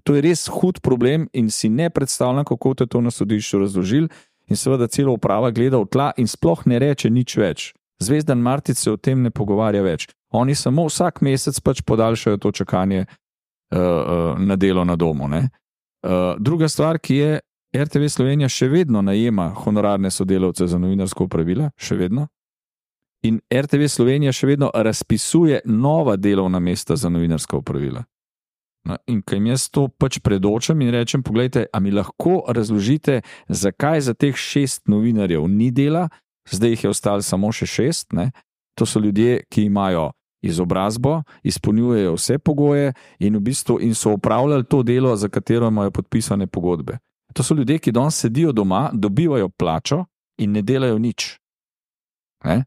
To je res hud problem in si ne predstavljam, kako te to na sodišču razložili, in seveda celo uprava gleda v tla in sploh ne reče nič več. Zvezdan Martic se o tem ne pogovarja več. Oni samo vsak mesec pač podaljšajo to čakanje na delo na domu. Ne? Druga stvar, ki je, RTV Slovenija še vedno najema honorarne sodelavce za novinarsko opravila, še vedno. In RTV Slovenija še vedno razpisuje nova delovna mesta za novinarska opravila. No, in kaj jaz to pač predočam in rečem, poglejte, a mi lahko razložite, zakaj za teh 6 novinarjev ni dela, zdaj jih je ostalo samo še 6, ne? To so ljudje, ki imajo izobrazbo, izpolnjujejo vse pogoje in v bistvu so opravljali to delo, za katero imajo podpisane pogodbe. To so ljudje, ki danes sedijo doma, dobivajo plačo in ne delajo nič. Ne?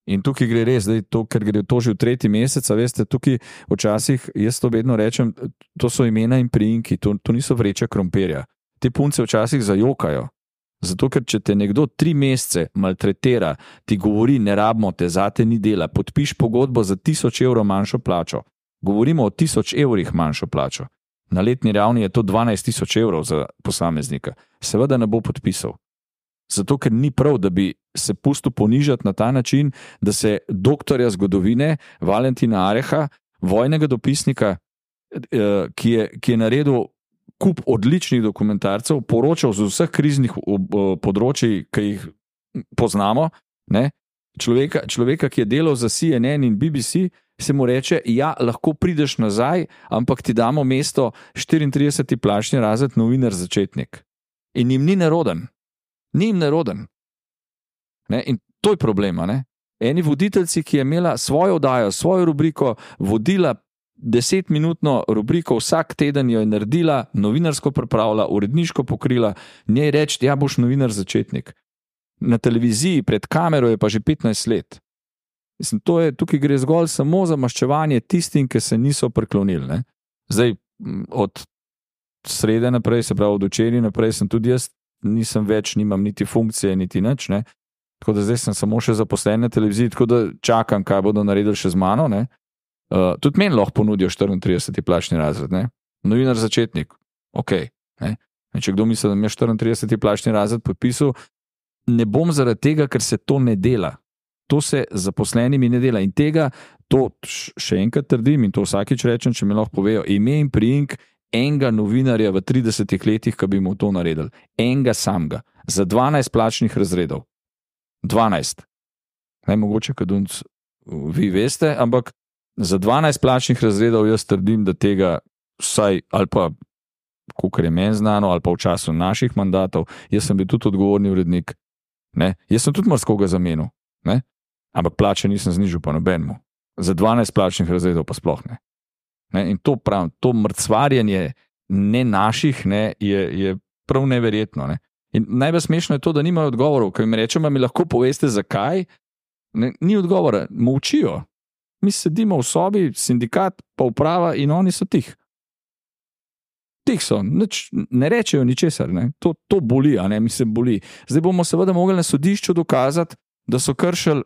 In tukaj gre res, ker gre to že v 3. mesec, veste, tukaj včasih, jaz to vedno rečem, to so imena in priimki, to niso vreče krompirja. Te punce včasih zajokajo. Zato, ker če te nekdo 3 mesece maltretira, ti govori, ne rabimo te, zate ni dela, podpiš pogodbo za 1000 evrov manjšo plačo. Govorimo o 1000 evrih manjšo plačo. Na letni ravni je to 12 000 evrov za posameznika. Seveda ne bo podpisal. Zato, ker ni prav, da bi se pustil ponižati na ta način, da se doktorja zgodovine Valentina Areha, vojnega dopisnika, ki je naredil kup odličnih dokumentarcev, poročal z vseh kriznih področij, ki jih poznamo, ne? Človeka, ki je delal za CNN in BBC, se mu reče, ja, lahko prideš nazaj, ampak ti damo mesto 34. plačni razred novinar začetnik. In jim ni neroden. Ni jim neroden. Ne? In to je problema. Ne? Eni voditeljci, ki je imela svojo oddajo, svojo rubriko, vodila 10-minutno rubriko, vsak teden jo je naredila, novinarsko pripravila, uredniško pokrila, njej reči, ja, boš novinar začetnik. Na televiziji pred kamero je pa že 15 let. Mislim, tukaj gre zgolj samo za maščevanje tistim, ki se niso priklonili. Ne? Zdaj, od srede naprej, se pravi od včeraj naprej, sem tudi jaz, nisem več, nimam niti funkcije, niti nič. Ne? Tako da zdaj sem samo še zaposlen na televiziji, tako da čakam, kaj bodo naredili še z mano. Ne? Tudi meni lahko ponudijo 34. plačni razred. Ne? Novinar začetnik, ok. Ne? Če kdo misli, da mi je 34. plačni razred podpisal, ne bom zaradi tega, ker se to ne dela. To se zaposlenimi ne dela. In tega, to še enkrat trdim in to vsakič rečem, če mi lahko povejo, ime in priimk enega novinarja v 30 letih, ki bi mu to naredili. Enega samega. Za 12 plačnih razredov. 12. Najmogoče, kadunc vi veste, ampak za 12 plačnih razredov jaz trdim, da tega vsaj, ali pa kakor je meni znano, ali pa v času naših mandatov, jaz sem bil tudi odgovorni urednik. Ne? Jaz sem tudi marskoga zamenil. Ne? Ampak plače nisem znižil pa nobenemu. Za 12 plačnih razredov pa sploh ne. Ne? In to pravim, to mrcvarjenje ne naših ne, je prav neverjetno. Ne? In najbolj smešno je to, da nimajo odgovorov, ko jim rečemo, mi lahko poveste zakaj, ne, ni odgovora, molčijo. Mi sedimo v sobi, sindikat pa uprava in oni so tih. Tih so, ne rečejo ničesar, ne? To boli, a ne, mi se boli. Zdaj bomo seveda mogli na sodišču dokazati, da so kršili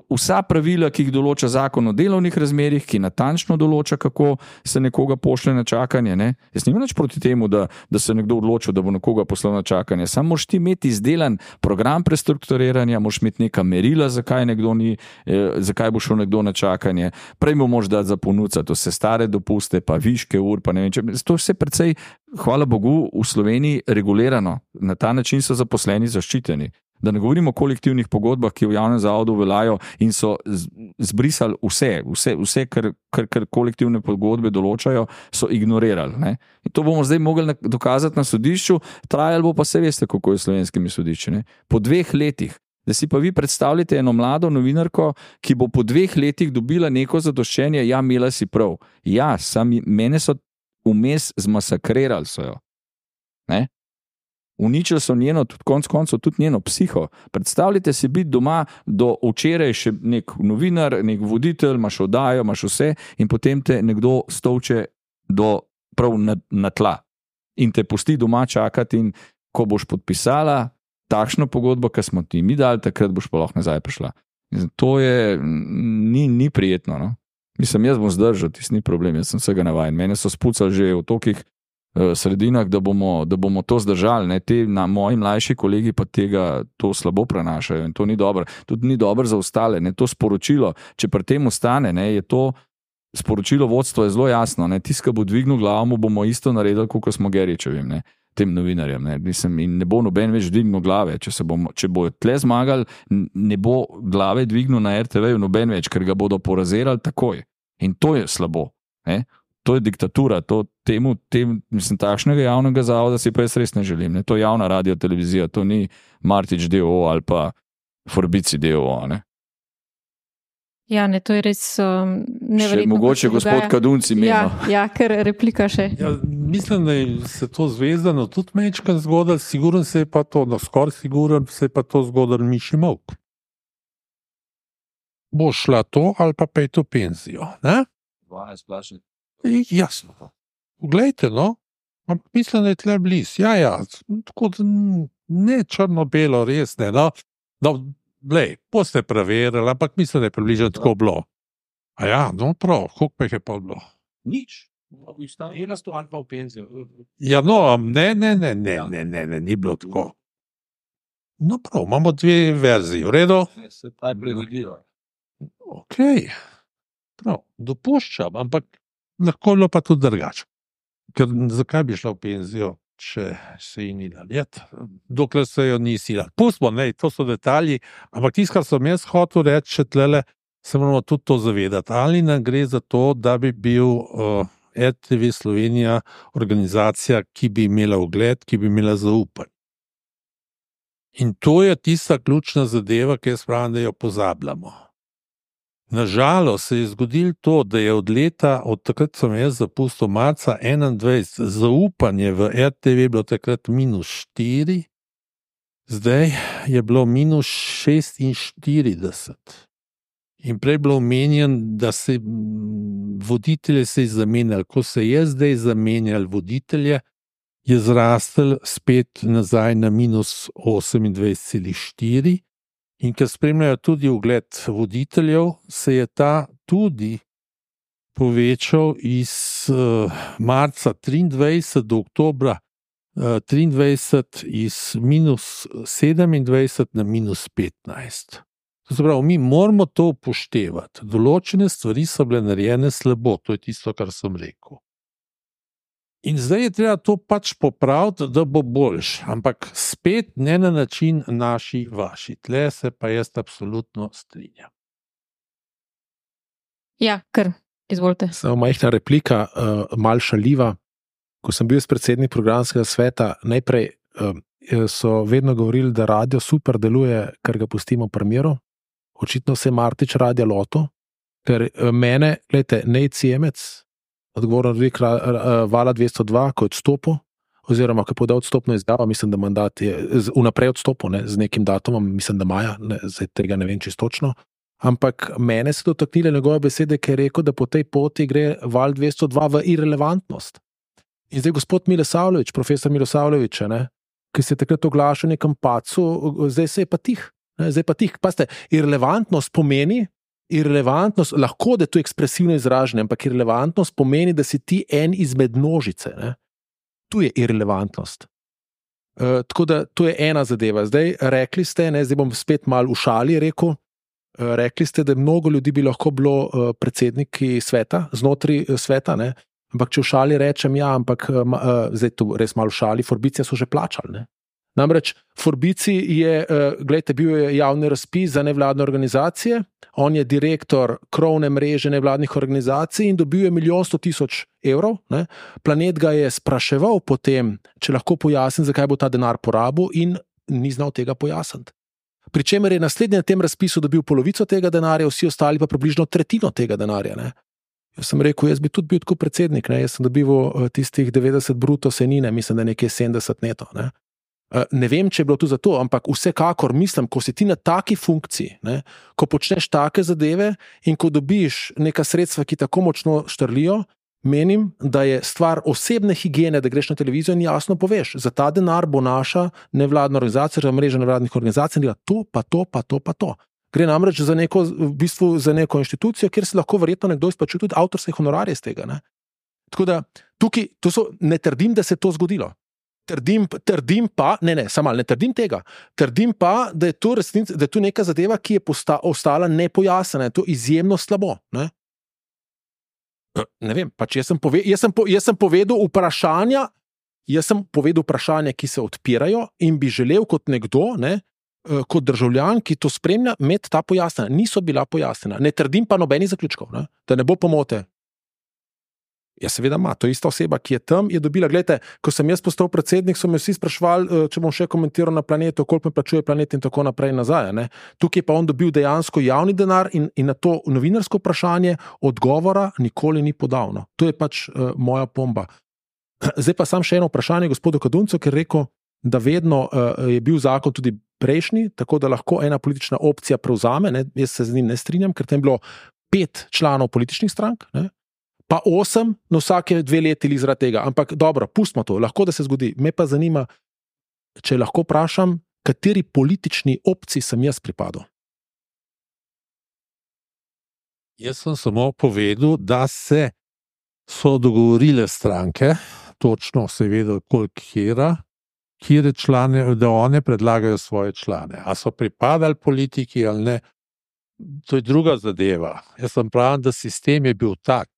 vsa pravila, ki jih določa zakon o delovnih razmerjih, ki natančno določa, kako se nekoga pošlje na čakanje. Ne? Jaz nimam nič proti temu, da se nekdo odločil, da bo nekoga poslal na čakanje. Samo moraš ti imeti izdelan program prestrukturiranja, moraš imeti neka merila, zakaj bo šel nekdo na čakanje. Prej mu moraš dati za ponudca, to se stare dopuste, pa viške ur, pa ne vem če. To je vse precej, hvala Bogu, v Sloveniji regulirano. Na ta način so zaposleni zaščiteni. Da ne govorimo o kolektivnih pogodbah, ki v javnem zavodu veljajo in so zbrisali vse, kar kolektivne pogodbe določajo, so ignorirali. Ne? In to bomo zdaj mogli dokazati na sodišču, trajalo bo pa se veste, kako je s slovenskimi sodišči. Ne? Po 2 letih, da si pa vi predstavljate eno mlado novinarko, ki bo po 2 letih dobila neko zadoščenje, ja, imela si prav. Ja, mene so vmes zmasakrirali so jo. Ne? Uničili so njeno, tudi konec koncev, tudi njeno psiho. Predstavljajte si biti doma do včeraj še nek novinar, nek voditelj, imaš oddajo, imaš vse in potem te nekdo stolče prav na tla in te pusti doma čakati in ko boš podpisala takšno pogodbo, ki smo ti mi dali, takrat boš pa lahko nazaj prišla. To je, ni prijetno. No? Mislim, jaz bom zdržal, tisti ni problem, jaz sem vsega navajen. Mene so spucali že v tokih sredinah, da bomo to zdržali. Ne? Moji mlajši kolegi pa to slabo prenašajo in to ni dobro. Tudi ni dobro za ostale. Ne? To sporočilo, če pri tem ostane, ne, je to sporočilo vodstva je zelo jasno. Tisti, ki bo dvignil glavo, bomo isto naredili, kot smo Geričevim, ne? Tem novinarjem. Ne? In ne bo noben več dvignil glave. Če bo tle zmagali, ne bo glave dvignil na RTV-ju noben več, ker ga bodo porazirali takoj. In to je slabo. Ne? To je diktatura, mislim, takšnega javnega zavoda si pa jaz res ne želim. Ne? To je javna radio televizija, to ni Martič d.o.o. ali pa Forbici d.o.o. Ne? Ja, ne, to je res neverjetno. Še mogoče gospod Kadunci meni. Ja, ker replika še. Ja, mislim, da se to zvezdano tudi mečka zgodilo, siguren se je pa to, skoraj siguren se je pa to zgodilo Miši Molk. Bo šla to ali pa pet v penzijo, ne? 12 plačnih. Jasno. Poglejte, no, mislim, da je tle bliz. Ja, tako da ne črno-belo, res ne, no. No, glej, boste preverili, ampak mislim, da je približno tako bilo. A ja, no prav, koliko pa jih je pa bilo? Nič. Ja, no, ne, ni bilo tako. No, prav, imamo dve verziji, v redu? Ok, prav, dopuščam, ampak lahko bilo pa tudi drugače. Ker zakaj bi šla v penzijo, če se ji ni dalo iti, dokler se jo nisi dalo. Pustimo, ne, to so detalji, ampak tisto, kar sem jaz hotel reči, še tlele, se moramo tudi to zavedati. Ali nam gre za to, da bi bil RTV Slovenija organizacija, ki bi imela ugled, ki bi imela zaupanje. In to je tista ključna zadeva, ki jaz pravim, da jo pozabljamo. Nažalost se je zgodilo to, da je od takrat sem jaz zapustil marca 21, zaupanje v RTV bilo takrat -4, zdaj je bilo -46. In prej je bilo omenjen, da se voditelje se je zamenjali. Ko se je zdaj zamenjali voditelje, je zrastel spet nazaj na -28,4. In ker spremljajo tudi ugled voditeljev, se je ta tudi povečal iz marca 23 do oktobra 23 iz -27 na -15. To se pravi, mi moramo to upoštevati. Določene stvari so bile narejene slabo, to je tisto, kar sem rekel. In zdaj je treba to pač popraviti, da bo boljš, ampak spet ne na način naši, vaši. Tle se pa jaz absolutno strinjam. Ja, kar, izvolite. Samo majhna replika, mal šaljiva. Ko sem bil predsednik programskega sveta, najprej so vedno govorili, da radio super deluje, ker ga pustimo pri miru. Očitno se je Martič radio loto, ker mene, gledajte, Nejc Jemec, odgovoren urednik Vala 202, ko je odstopil, oziroma ko je podal odstopno izjavo, mislim, da mandat je vnaprej odstopil, ne, z nekim datumom, mislim, da maja, ne, zdaj tega ne vem čisto točno, ampak mene se dotaknile njegove besede, ker je rekel, da po tej poti gre Val 202 v irelevantnost. In zdaj gospod Milosavljević, profesor Milosavljević, ki se je takrat oglašal v nekem pacu, zdaj se je pa tih. Zdaj pa tih, pazite, irelevantnost pomeni, lahko da je to ekspresivno izražanje, ampak irelevantnost pomeni, da si ti en izmed množice. Ne? Tu je irelevantnost. Tako da to je ena zadeva. Zdaj rekli ste, zdaj bom spet malo v šali rekel, rekli ste, da mnogo ljudi bi lahko bilo predsedniki sveta, znotraj sveta, ne? Ampak če v šali rečem, ja, ampak zdaj tu res malo v šali, Forbicija so že plačali, ne? Namreč Forbici je, gledajte, bil je javni razpis za nevladne organizacije, on je direktor krovne mreže nevladnih organizacij in dobil je 1 100 000 evrov. Ne? Planet ga je spraševal potem, če lahko pojasni, zakaj bo ta denar porabil, in ni znal tega pojasniti. Pričemer je naslednji na tem razpisu dobil polovico tega denarja, vsi ostali pa približno tretjino tega denarja. Ne? Jaz sem rekel, jaz bi tudi bil tako predsednik, ne? Jaz sem dobival tistih 90 bruto senine, mislim, da nekje 70 neto. Ne? Ne vem, če je bilo to zato, ampak vsekakor mislim, ko si ti na taki funkciji, ne, ko počneš take zadeve in ko dobiš neka sredstva, ki tako močno štrlijo, menim, da je stvar osebne higiene, da greš na televizijo in jasno poveš, za ta denar bo naša nevladna organizacija, za mreža nevladnih organizacij, to pa to, pa to, pa to. Gre namreč za neko, v bistvu za neko inštitucijo, kjer se lahko verjetno nekdo izplačuje tudi avtorske honorarje iz tega. Ne. Tako da tukaj, ne trdim, da se je to zgodilo. Trdim pa, ne trdim tega. Trdim pa, da je to resnica, da je to neka zadeva, ki je ostala nepojasnjena. Je to izjemno slabo. Ne vem, pač jaz sem povedal vprašanja, ki se odpirajo in bi želel kot nekdo, kot državljan, ki to spremlja, imeti ta pojasnjena. Niso bila pojasnjena. Ne trdim pa nobenih zaključkov, da ne bo pomote. Ja, seveda ima, to je ista oseba, ki je tam, je dobila, gledajte, ko sem jaz postal predsednik, so me vsi sprašvali, če bom še komentiral na Planetu, koliko me plačuje Planet in tako naprej nazaj. Ne? Tukaj pa on dobil dejansko javni denar in na to novinarsko vprašanje odgovora nikoli ni podal. No? To je pač moja pomba. Zdaj pa sam še eno vprašanje gospodu Kaduncu, ker je rekel, da vedno je bil zakon tudi prejšnji, tako da lahko ena politična opcija prevzame, ne? Jaz se z njim ne strinjam, ker tam je bilo 5 članov političnih strank, ne? Pa 8 na vsake 2 leti ali zaradi tega. Ampak dobro, pustimo to, lahko da se zgodi. Me pa zanima, če lahko vprašam, kateri politični opciji sem jaz pripadal. Jaz sem samo povedal, da se so dogovorile stranke, točno se je vedelo, kjer člane, da one predlagajo svoje člane. A so pripadali politiki ali ne, to je druga zadeva. Jaz sem pravim, da sistem je bil tak,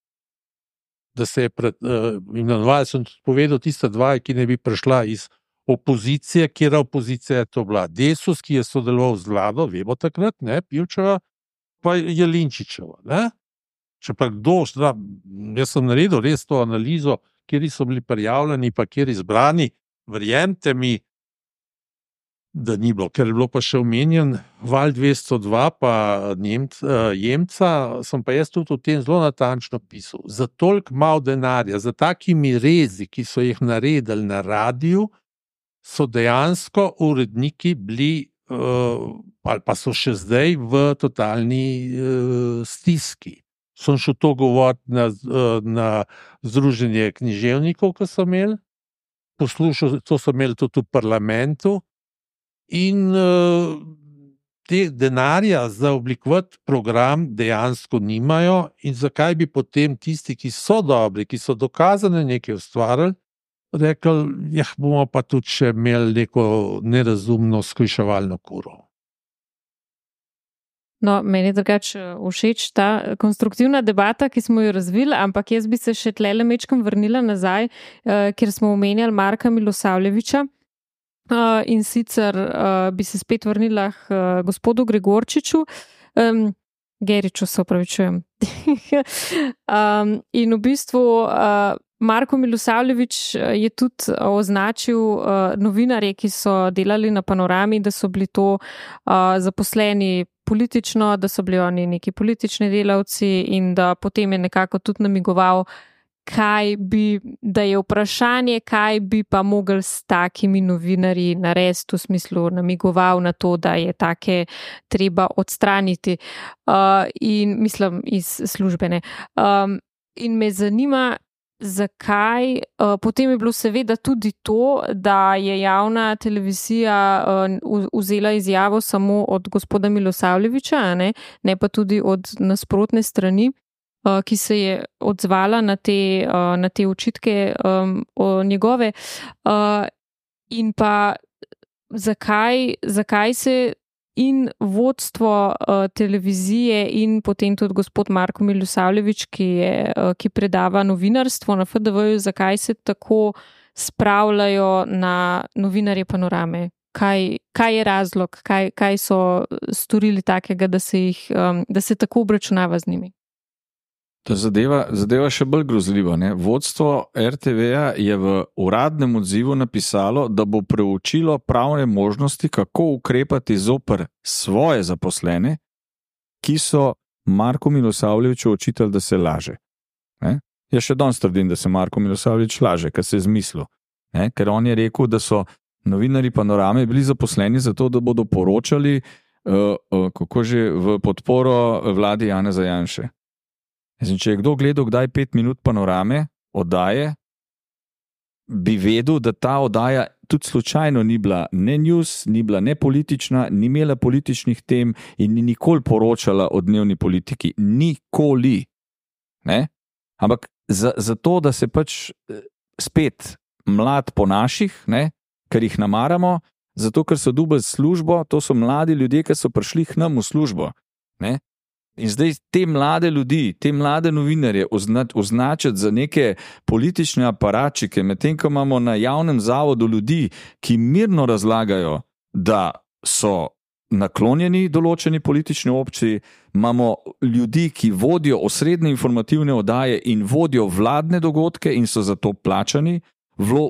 da se je imenovali, sem povedal, tista dva, ki ne bi prišla iz opozicije, kjer opozicija je to bila. Desus, ki je sodeloval z vlado, vemo takrat, ne, Pivčeva, pa Jelinčičeva, ne. Če pa kdo, jaz sem naredil res to analizo, kjer so bili prijavljeni, pa kjer izbrani, verjemite mi, da ni bilo, ker je bilo pa še omenjen Val 202 pa Jemca, sem pa jaz tudi o tem zelo natančno pisal. Za toliko malo denarja, za takimi rezi, ki so jih naredili na radiju, so dejansko uredniki bili, ali pa so še zdaj v totalni stiski. Sem šel to govoriti na združenje književnikov, ko so imeli, poslušal, to so imeli tudi v parlamentu, in te denarja za oblikovati program dejansko nimajo, in zakaj bi potem tisti, ki so dobri, ki so dokazane nekaj ustvarili, rekli, bomo pa tudi še imeli neko nerazumno skliševalno kuro. No, meni je drugače všeč ta konstruktivna debata, ki smo jo razvili, ampak jaz bi se še tlele mečkam vrnila nazaj, kjer smo omenjali Marka Milosavljevića, in sicer bi se spet vrnila k gospodu Gregorčiču, Geriču, se opravičujem. In v bistvu Marko Milosavljević je tudi označil novinarje, ki so delali na Panorami, da so bili to zaposleni politično, da so bili oni neki politični delavci, in da potem je nekako tudi namigoval, da je vprašanje, kaj bi pa mogli s takimi novinarji narediti, v smislu namigoval na to, da je take treba odstraniti, in mislim iz službene. In me zanima, zakaj, potem je bilo seveda tudi to, da je javna televizija vzela izjavo samo od gospoda Milosavljevića, ne pa tudi od nasprotne strani, ki se je odzvala na te očitke njegove, in pa zakaj se in vodstvo televizije in potem tudi gospod Marko Milosavljević, ki predava novinarstvo na FDV-ju, zakaj se tako spravljajo na novinarje Panorame? Kaj je razlog? Kaj so storili takega, da se tako obračunava z njimi? Ta zadeva še bolj grozljiva. Ne? Vodstvo RTV-ja je v uradnem odzivu napisalo, da bo preučilo pravne možnosti, kako ukrepati zoper svoje zaposlene, ki so Marku Milosavljeviću očitali, da se laže. Ne? Jaz še danes trdim, da se Marko Milosavljević laže, ker se je zmislil. Ne? Ker on je rekel, da so novinarji Panorame bili zaposleni zato, da bodo poročali kako že v podporo vladi Janeza Janše. Če je kdo gledal kdaj 5 minut Panorame oddaje, bi vedel, da ta oddaja tudi slučajno ni bila ne news, ni bila ne politična, ni imela političnih tem in ni nikoli poročala o dnevni politiki. Nikoli. Ne? Ampak zato, da se pač spet mlad po naših, ne? Ker jih namaramo, zato ker so dobili službo, to so mladi ljudje, ki so prišli k nam v službo. Ne? In zdaj te mlade ljudi, te mlade novinarje označiti za neke politične aparatčike, medtem ko imamo na javnem zavodu ljudi, ki mirno razlagajo, da so naklonjeni določeni politični opciji, imamo ljudi, ki vodijo osrednje informativne oddaje in vodijo vladne dogodke in so za to plačani,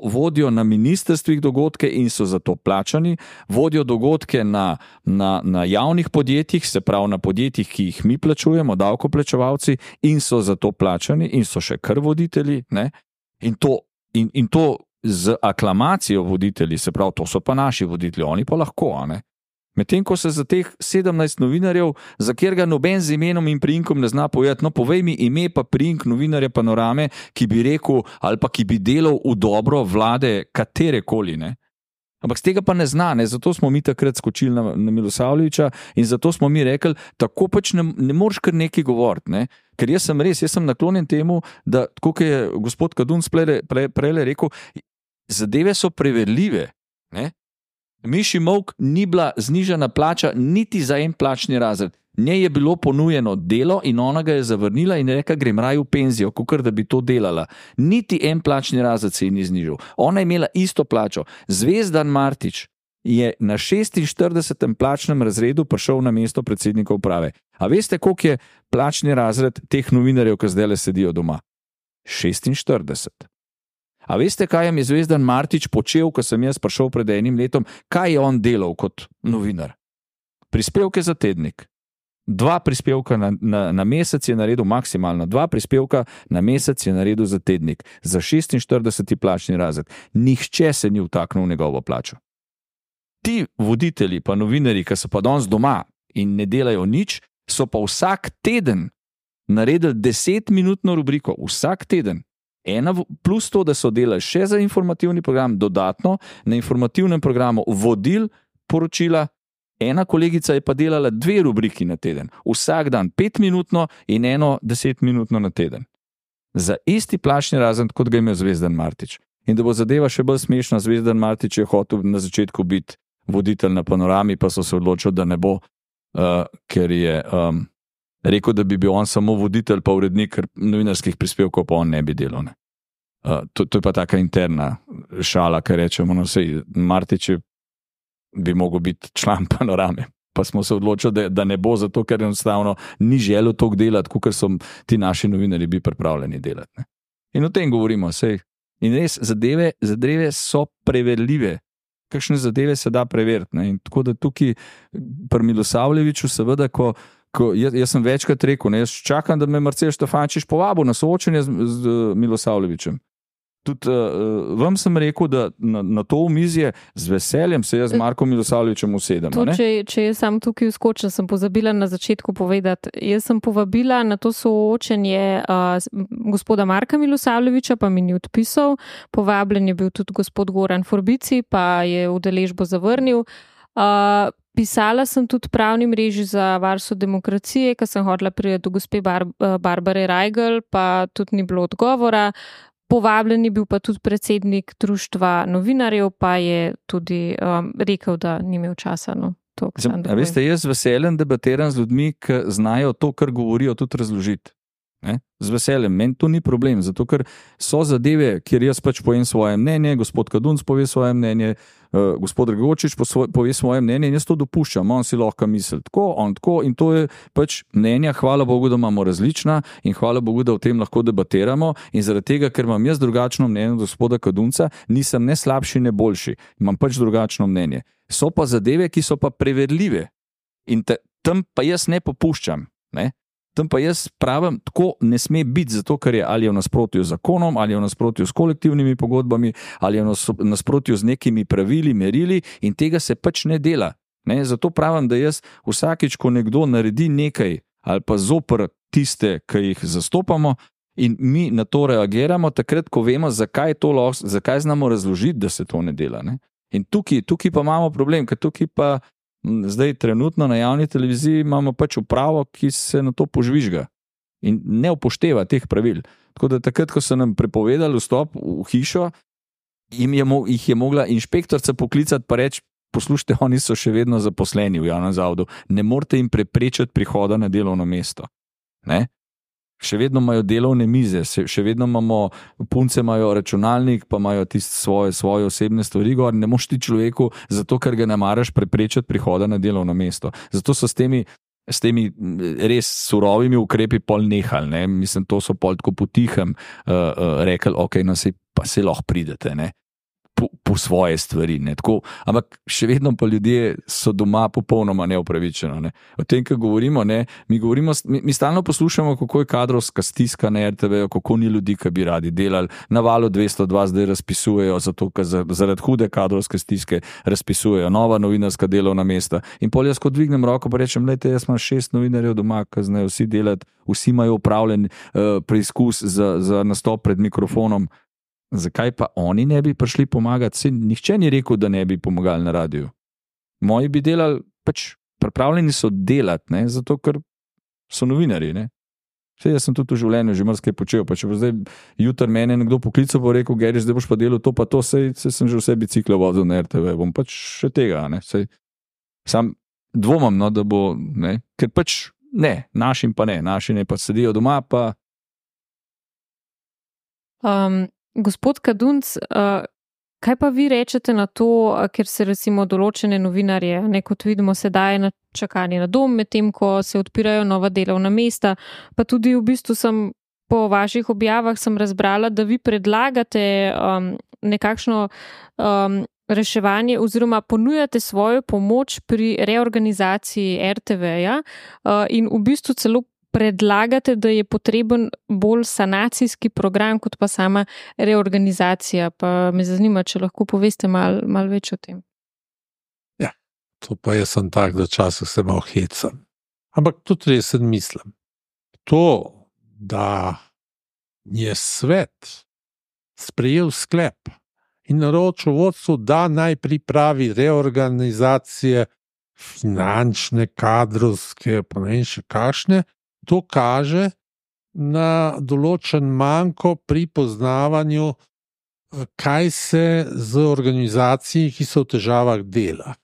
vodijo na ministrstvih dogodke in so za to plačani, vodijo dogodke na javnih podjetjih, se pravi na podjetjih, ki jih mi plačujemo, davkoplačevalci, in so za to plačani in so še kar voditelji. Ne? In to z aklamacijo voditelji, se pravi, to so pa naši voditelji, oni pa lahko, a ne? Medtem ko se za teh 17 novinarjev, za kjer ga noben z imenom in priimkom ne zna povedati, no povej mi ime pa priimk novinarja Panorame, ki bi rekel ali pa ki bi delal v dobro vlade katerekoli, ne? Ampak z tega pa ne zna, ne? Zato smo mi takrat skočili na Milosavljevića in zato smo mi rekli, tako pač ne moreš kar nekaj govoriti. Ne? Ker jaz sem naklonjen temu, da, tako kot je gospod Kadunc prej rekel, zadeve so preverljive. Ne? Miši Molk ni bila znižana plača niti za en plačni razred. Njej je bilo ponujeno delo in ona ga je zavrnila in je rekla, grem raje v penzijo, kakor da bi to delala. Niti en plačni razred se ji ni znižal. Ona je imela isto plačo. Zvezdan Martič je na 46. plačnem razredu prišel na mesto predsednika uprave. A veste, koliko je plačni razred teh novinarjev, ki zdaj le sedijo doma? 46. A veste, kaj je Zvezdan Martič počel, ko sem jaz prišel pred enim letom? Kaj je on delal kot novinar? Prispevke za tednik. 2 prispevka na mesec je naredil maksimalno. 2 prispevka na mesec je naredil za tednik. Za 46. plačni razred. Nihče se ni vtaknil v njegovo plačo. Ti voditelji pa novinari, ki so pa danes doma in ne delajo nič, so pa vsak teden naredili 10-minutno rubriko. Vsak teden. Plus to, da so delali še za informativni program, dodatno na informativnem programu vodil poročila. Ena kolegica je pa delala 2 rubriki na teden. Vsak dan 5-minutno in 10-minutno na teden. Za isti plačni razred, kot ga je imel Zvezdan Martič. In da bo zadeva še bolj smešna, Zvezdan Martič je hotel na začetku biti voditelj na Panorami, pa so se odločili, da ne bo, ker je rekel, da bi bil on samo voditelj pa urednik novinarskih prispevkov, pa on ne bi delal. Ne. To je pa taka interna šala, ker rečemo, no sej, Martič bi mogel biti član Panorame. Pa smo se odločili, da ne bo, zato ker enostavno ni želel toliko delati, kot so ti naši novinari bi pripravljeni delati. Ne. In o tem govorimo. Sej. In res, zadeve so preverljive. Kakšne zadeve se da preveriti. Ne. In tako da tukaj pri Milosavljeviću seveda, jaz sem večkrat rekel, ne, jaz čakam, da me Marcel Štefančič povabil na soočenje z Milosavljevićem. Tudi vam sem rekel, da na to omizje z veseljem se jaz z Markom Milosavljevićem usedem. Če jaz sam tukaj vskočim, sem pozabila na začetku povedati. Jaz sem povabila na to soočenje gospoda Marka Milosavljevića, pa mi ni odpisal. Povabljen je bil tudi gospod Goran Forbici, pa je udeležbo zavrnil. Pisala sem tudi pravni mreži za varstvo demokracije, ker sem hodila priti do gospe Barbare Rajgl, pa tudi ni bilo odgovora. Povabljen je bil pa tudi predsednik društva novinarjev, pa je tudi rekel, da ni imel časa. No, veste, jaz z veseljem debatiram z ljudmi, ki znajo to, kar govorijo, tudi razložiti. Ne? Z veseljem, meni to ni problem, zato ker so zadeve, kjer jaz pač povem svoje mnenje, gospod Kadunc pove svoje mnenje, gospod Dragočič pove svoje mnenje in jaz to dopuščam, on si lahko misli tako, on tako in to je pač mnenja, hvala Bogu, da imamo različna in hvala Bogu, da o tem lahko debatiramo in zaradi tega, ker imam jaz drugačno mnenje od gospoda Kadunca, nisem ne slabši, ne boljši, imam pač drugačno mnenje. So pa zadeve, ki so pa preverljive in tam pa jaz ne popuščam, ne? Tam pa jaz pravim, tako ne sme biti, zato ker je ali v nasprotju z zakonom, ali v nasprotju s kolektivnimi pogodbami, ali v nasprotju z nekimi pravili, merili in tega se pač ne dela. Ne? Zato pravim, da jaz vsakič, ko nekdo naredi nekaj ali pa zoper tiste, ki jih zastopamo in mi na to reagiramo, takrat, ko vemo, zakaj znamo razložiti, da se to ne dela. Ne? In tukaj pa imamo problem, ker tukaj pa zdaj trenutno na javni televiziji imamo pač upravo, ki se na to požvižga in ne upošteva teh pravil. Tako da takrat, ko so nam prepovedali vstop v hišo, jih je mogla inšpektorica poklicati pa reči, poslušajte, oni so še vedno zaposleni v javnem zavodu, ne morete jim preprečiti prihoda na delovno mesto. Ne? Še vedno imajo delovne mize, še vedno imamo, punce imajo računalnik, pa imajo svoje osebne stvari, ne moš ti človeku, zato ker ga ne maraš preprečiti prihoda na delovno mesto. Zato so s temi res surovimi ukrepi pol nehali, ne? Mislim, to so pol tako potihem rekli, ok, no pa se lahko pridete, ne? Po svoje stvari. Ne? Tako, ampak še vedno pa ljudje so doma popolnoma neupravičeno. Ne? O tem, kaj govorimo, ne? Mi stalno poslušamo, kako je kadrovska stiska na RTV, kako ni ljudi, ki bi radi delali. Na Valu 202 zdaj razpisujejo, zato ker zaradi hude kadrovske stiske razpisujejo nova novinarska delovna mesta. In pol jaz, ko dvignem roko, pa rečem, lejte, jaz imam 6 novinarjev doma, ki znajo vsi delati, vsi imajo upravljen preizkus za nastop pred mikrofonom. zakaj pa oni ne bi prišli pomagati? Saj nihče ni rekel, da ne bi pomagali na radiju. Moji bi delali, pač pripravljeni so delati, ne? Zato ker so novinarji. Ne? Saj jaz sem tudi v življenju že marsikaj počel, pa če bo zdaj jutri mene nekdo poklical, bo rekel, Geri, zdaj boš pa delal to pa to, saj sem že vse bicikle vozil na RTV, bom pač še tega, ne? Saj, sam dvomam, no, da bo, ne? Ker pač ne, našim pa ne, naši ne pa sedijo doma, pa Gospod Kadunc, kaj pa vi rečete na to, ker se recimo določene novinarje, kot vidimo sedaj, na čakanju na dom, medtem ko se odpirajo nova delovna mesta, pa tudi v bistvu sem po vaših objavah sem razbrala, da vi predlagate nekakšno reševanje oziroma ponujate svojo pomoč pri reorganizaciji RTV-ja in v bistvu celo predlagate, da je potreben bolj sanacijski program, kot pa sama reorganizacija. Pa me zanima, če lahko poveste malo več o tem. Ja, to pa jaz sem tak, da časih se malo hecam. Ampak tudi resen mislim. To, da je svet sprejel sklep in naročil vodstvu, da naj pripravi reorganizacije finančne, kadrovske, pa ne vem še kakšne, to kaže na določen manko pri poznavanju, kaj se z organizacijami, ki so v težavah, dela.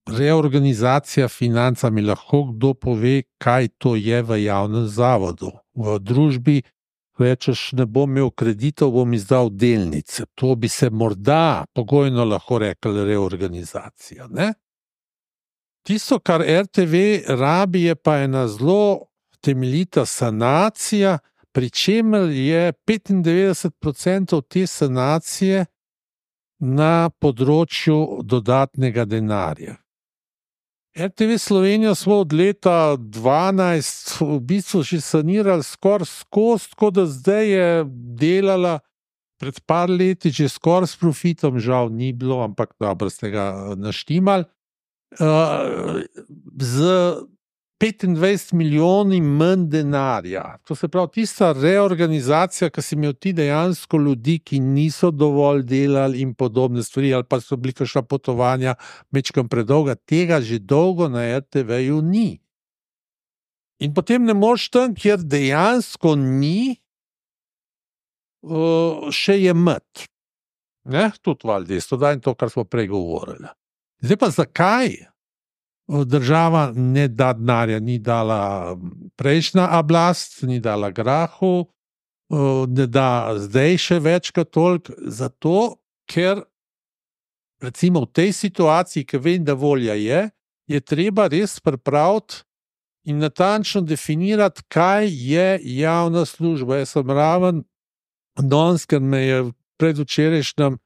Reorganizacija financami, lahko kdo pove, kaj to je v javnem zavodu. V družbi rečeš, ne bom imel kreditov, bom izdal delnice. To bi se morda pogojno lahko rekli reorganizacija, ne? Tisto, kar RTV rabi, je pa ena zelo temeljita sanacija, pri čemer je 95% te sanacije na področju dodatnega denarja. RTV Slovenija smo od leta 2012 v bistvu že sanirali skoraj skozi, tako da zdaj je delala pred par leti že skoraj s profitom, žal ni bilo, ampak dobro ste ga naštimali. Z 25 milijoni manj denarja. To se pravi, tista reorganizacija, ki si imel ti dejansko ljudi, ki niso dovolj delali in podobne stvari, ali pa so bili kakšna potovanja mečkam predolga, tega že dolgo na RTV-ju ni. In potem ne moreš tam, kjer dejansko ni, še jemati. Tudi valdesto, da in to, kar smo prej govorili. Zdaj pa zakaj država ne da denarja, ni dala prejšnja oblast, ni dala Grahu, ne da zdaj še več kot toliko, zato ker recimo v tej situaciji, ki vem, da volja je treba res pripraviti in natančno definirati, kaj je javna služba. Jaz sem raven danes, ker me je predvčerajšnjem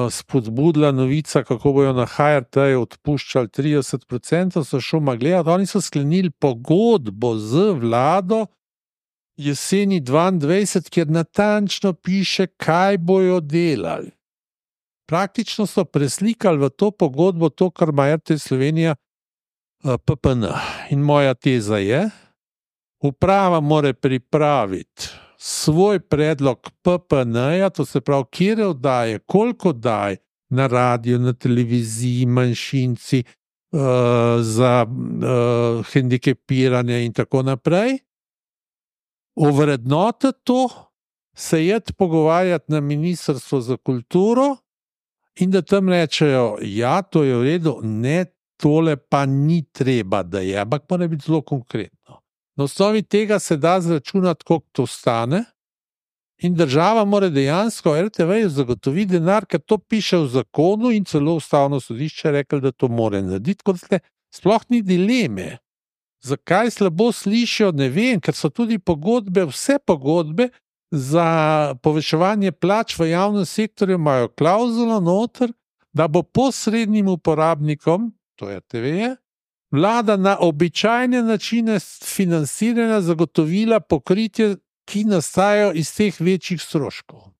spodbudila novica, kako bojo na HRT-ju odpuščali 30%, so šel gledati, oni so sklenili pogodbo z vlado jeseni 22, kjer natančno piše, kaj bojo delali. Praktično so preslikali v to pogodbo to, kar ima RTV Slovenija PPN. In moja teza je, uprava mora pripraviti svoj predlog PPN-ja, to se pravi, kjer oddaje, koliko oddaje na radiju, na televiziji, manjšinci, za hendikepiranje in tako naprej, ovrednotiti to, se iti pogovarjati na Ministrstvo za kulturo in da tam rečejo, ja, to je v redu, ne, tole pa ni treba, da je, ampak mora biti zelo konkretno. Na osnovi tega se da zračunati, koliko to stane, in država mora dejansko RTV-ju zagotoviti denar, ker to piše v zakonu in celo ustavno sodišče rekli, da to mora narediti, kot ste, sploh ni dileme. Zakaj slabo slišijo, ne vem, ker so tudi pogodbe, vse pogodbe za povečevanje plač v javnem sektorju imajo klauzulo noter, da bo posrednim uporabnikom, to je RTV, vlada na običajne načine financiranja zagotovila pokritje, ki nastajajo iz teh večjih stroškov.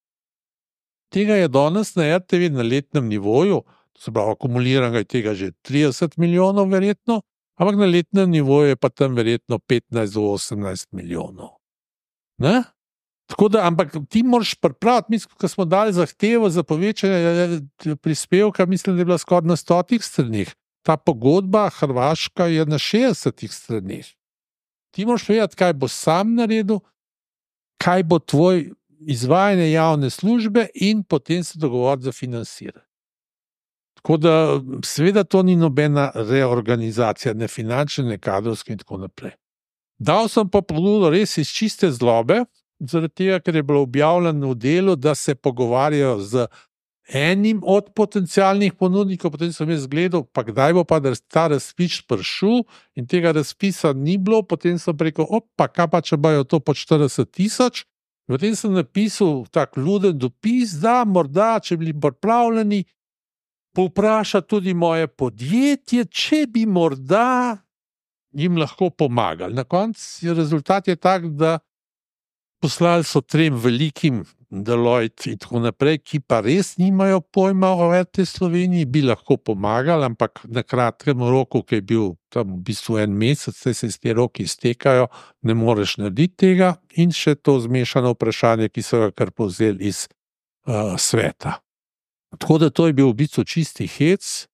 Tega je danes na RTV na letnem nivoju, to se pravi, akumuliranega je tega že 30 milijonov verjetno, ampak na letnem nivoju je pa tam verjetno 15 do 18 milijonov. Ne? Tako da, ampak ti moraš pripraviti, mislim, ko smo dali zahtevo za povečanje prispevka, mislim, da je bila skoraj na 100 stranih. Ta pogodba Hrvaška je na 60 stranih. Ti moraš vedeti, kaj bo sam naredil, kaj bo tvoj izvajanje javne službe in potem se dogovoriti za financiranje. Tako da, seveda to ni nobena reorganizacija, ne finančne, ne kadrovske in tako naprej. Dal sem pa pobudo res iz čiste zlobe, zaradi tega, ker je bilo objavljeno v Delu, da se pogovarjajo z enim od potencialnih ponudnikov, potem sem jaz gledal, pa kdaj bo pa ta razpis prišel in tega razpisa ni bilo, potem sem rekel, kaj pa če bojo to po 40 000, potem sem napisal tak luden dopis, da morda, če bili pripravljeni, povpraša tudi moje podjetje, če bi morda jim lahko pomagali. Na koncu rezultat je tak, da poslali so 3 velikim Deloitte in tako naprej, ki pa res nimajo pojma o RTV Sloveniji, bi lahko pomagali, ampak na kratkem roku, ki je bil tam v bistvu 1 mesec, se te roki iztekajo, ne moreš narediti tega in še to zmešano vprašanje, ki so ga kar povzeli iz sveta. Tako da to je bil v bistvu čisti hec,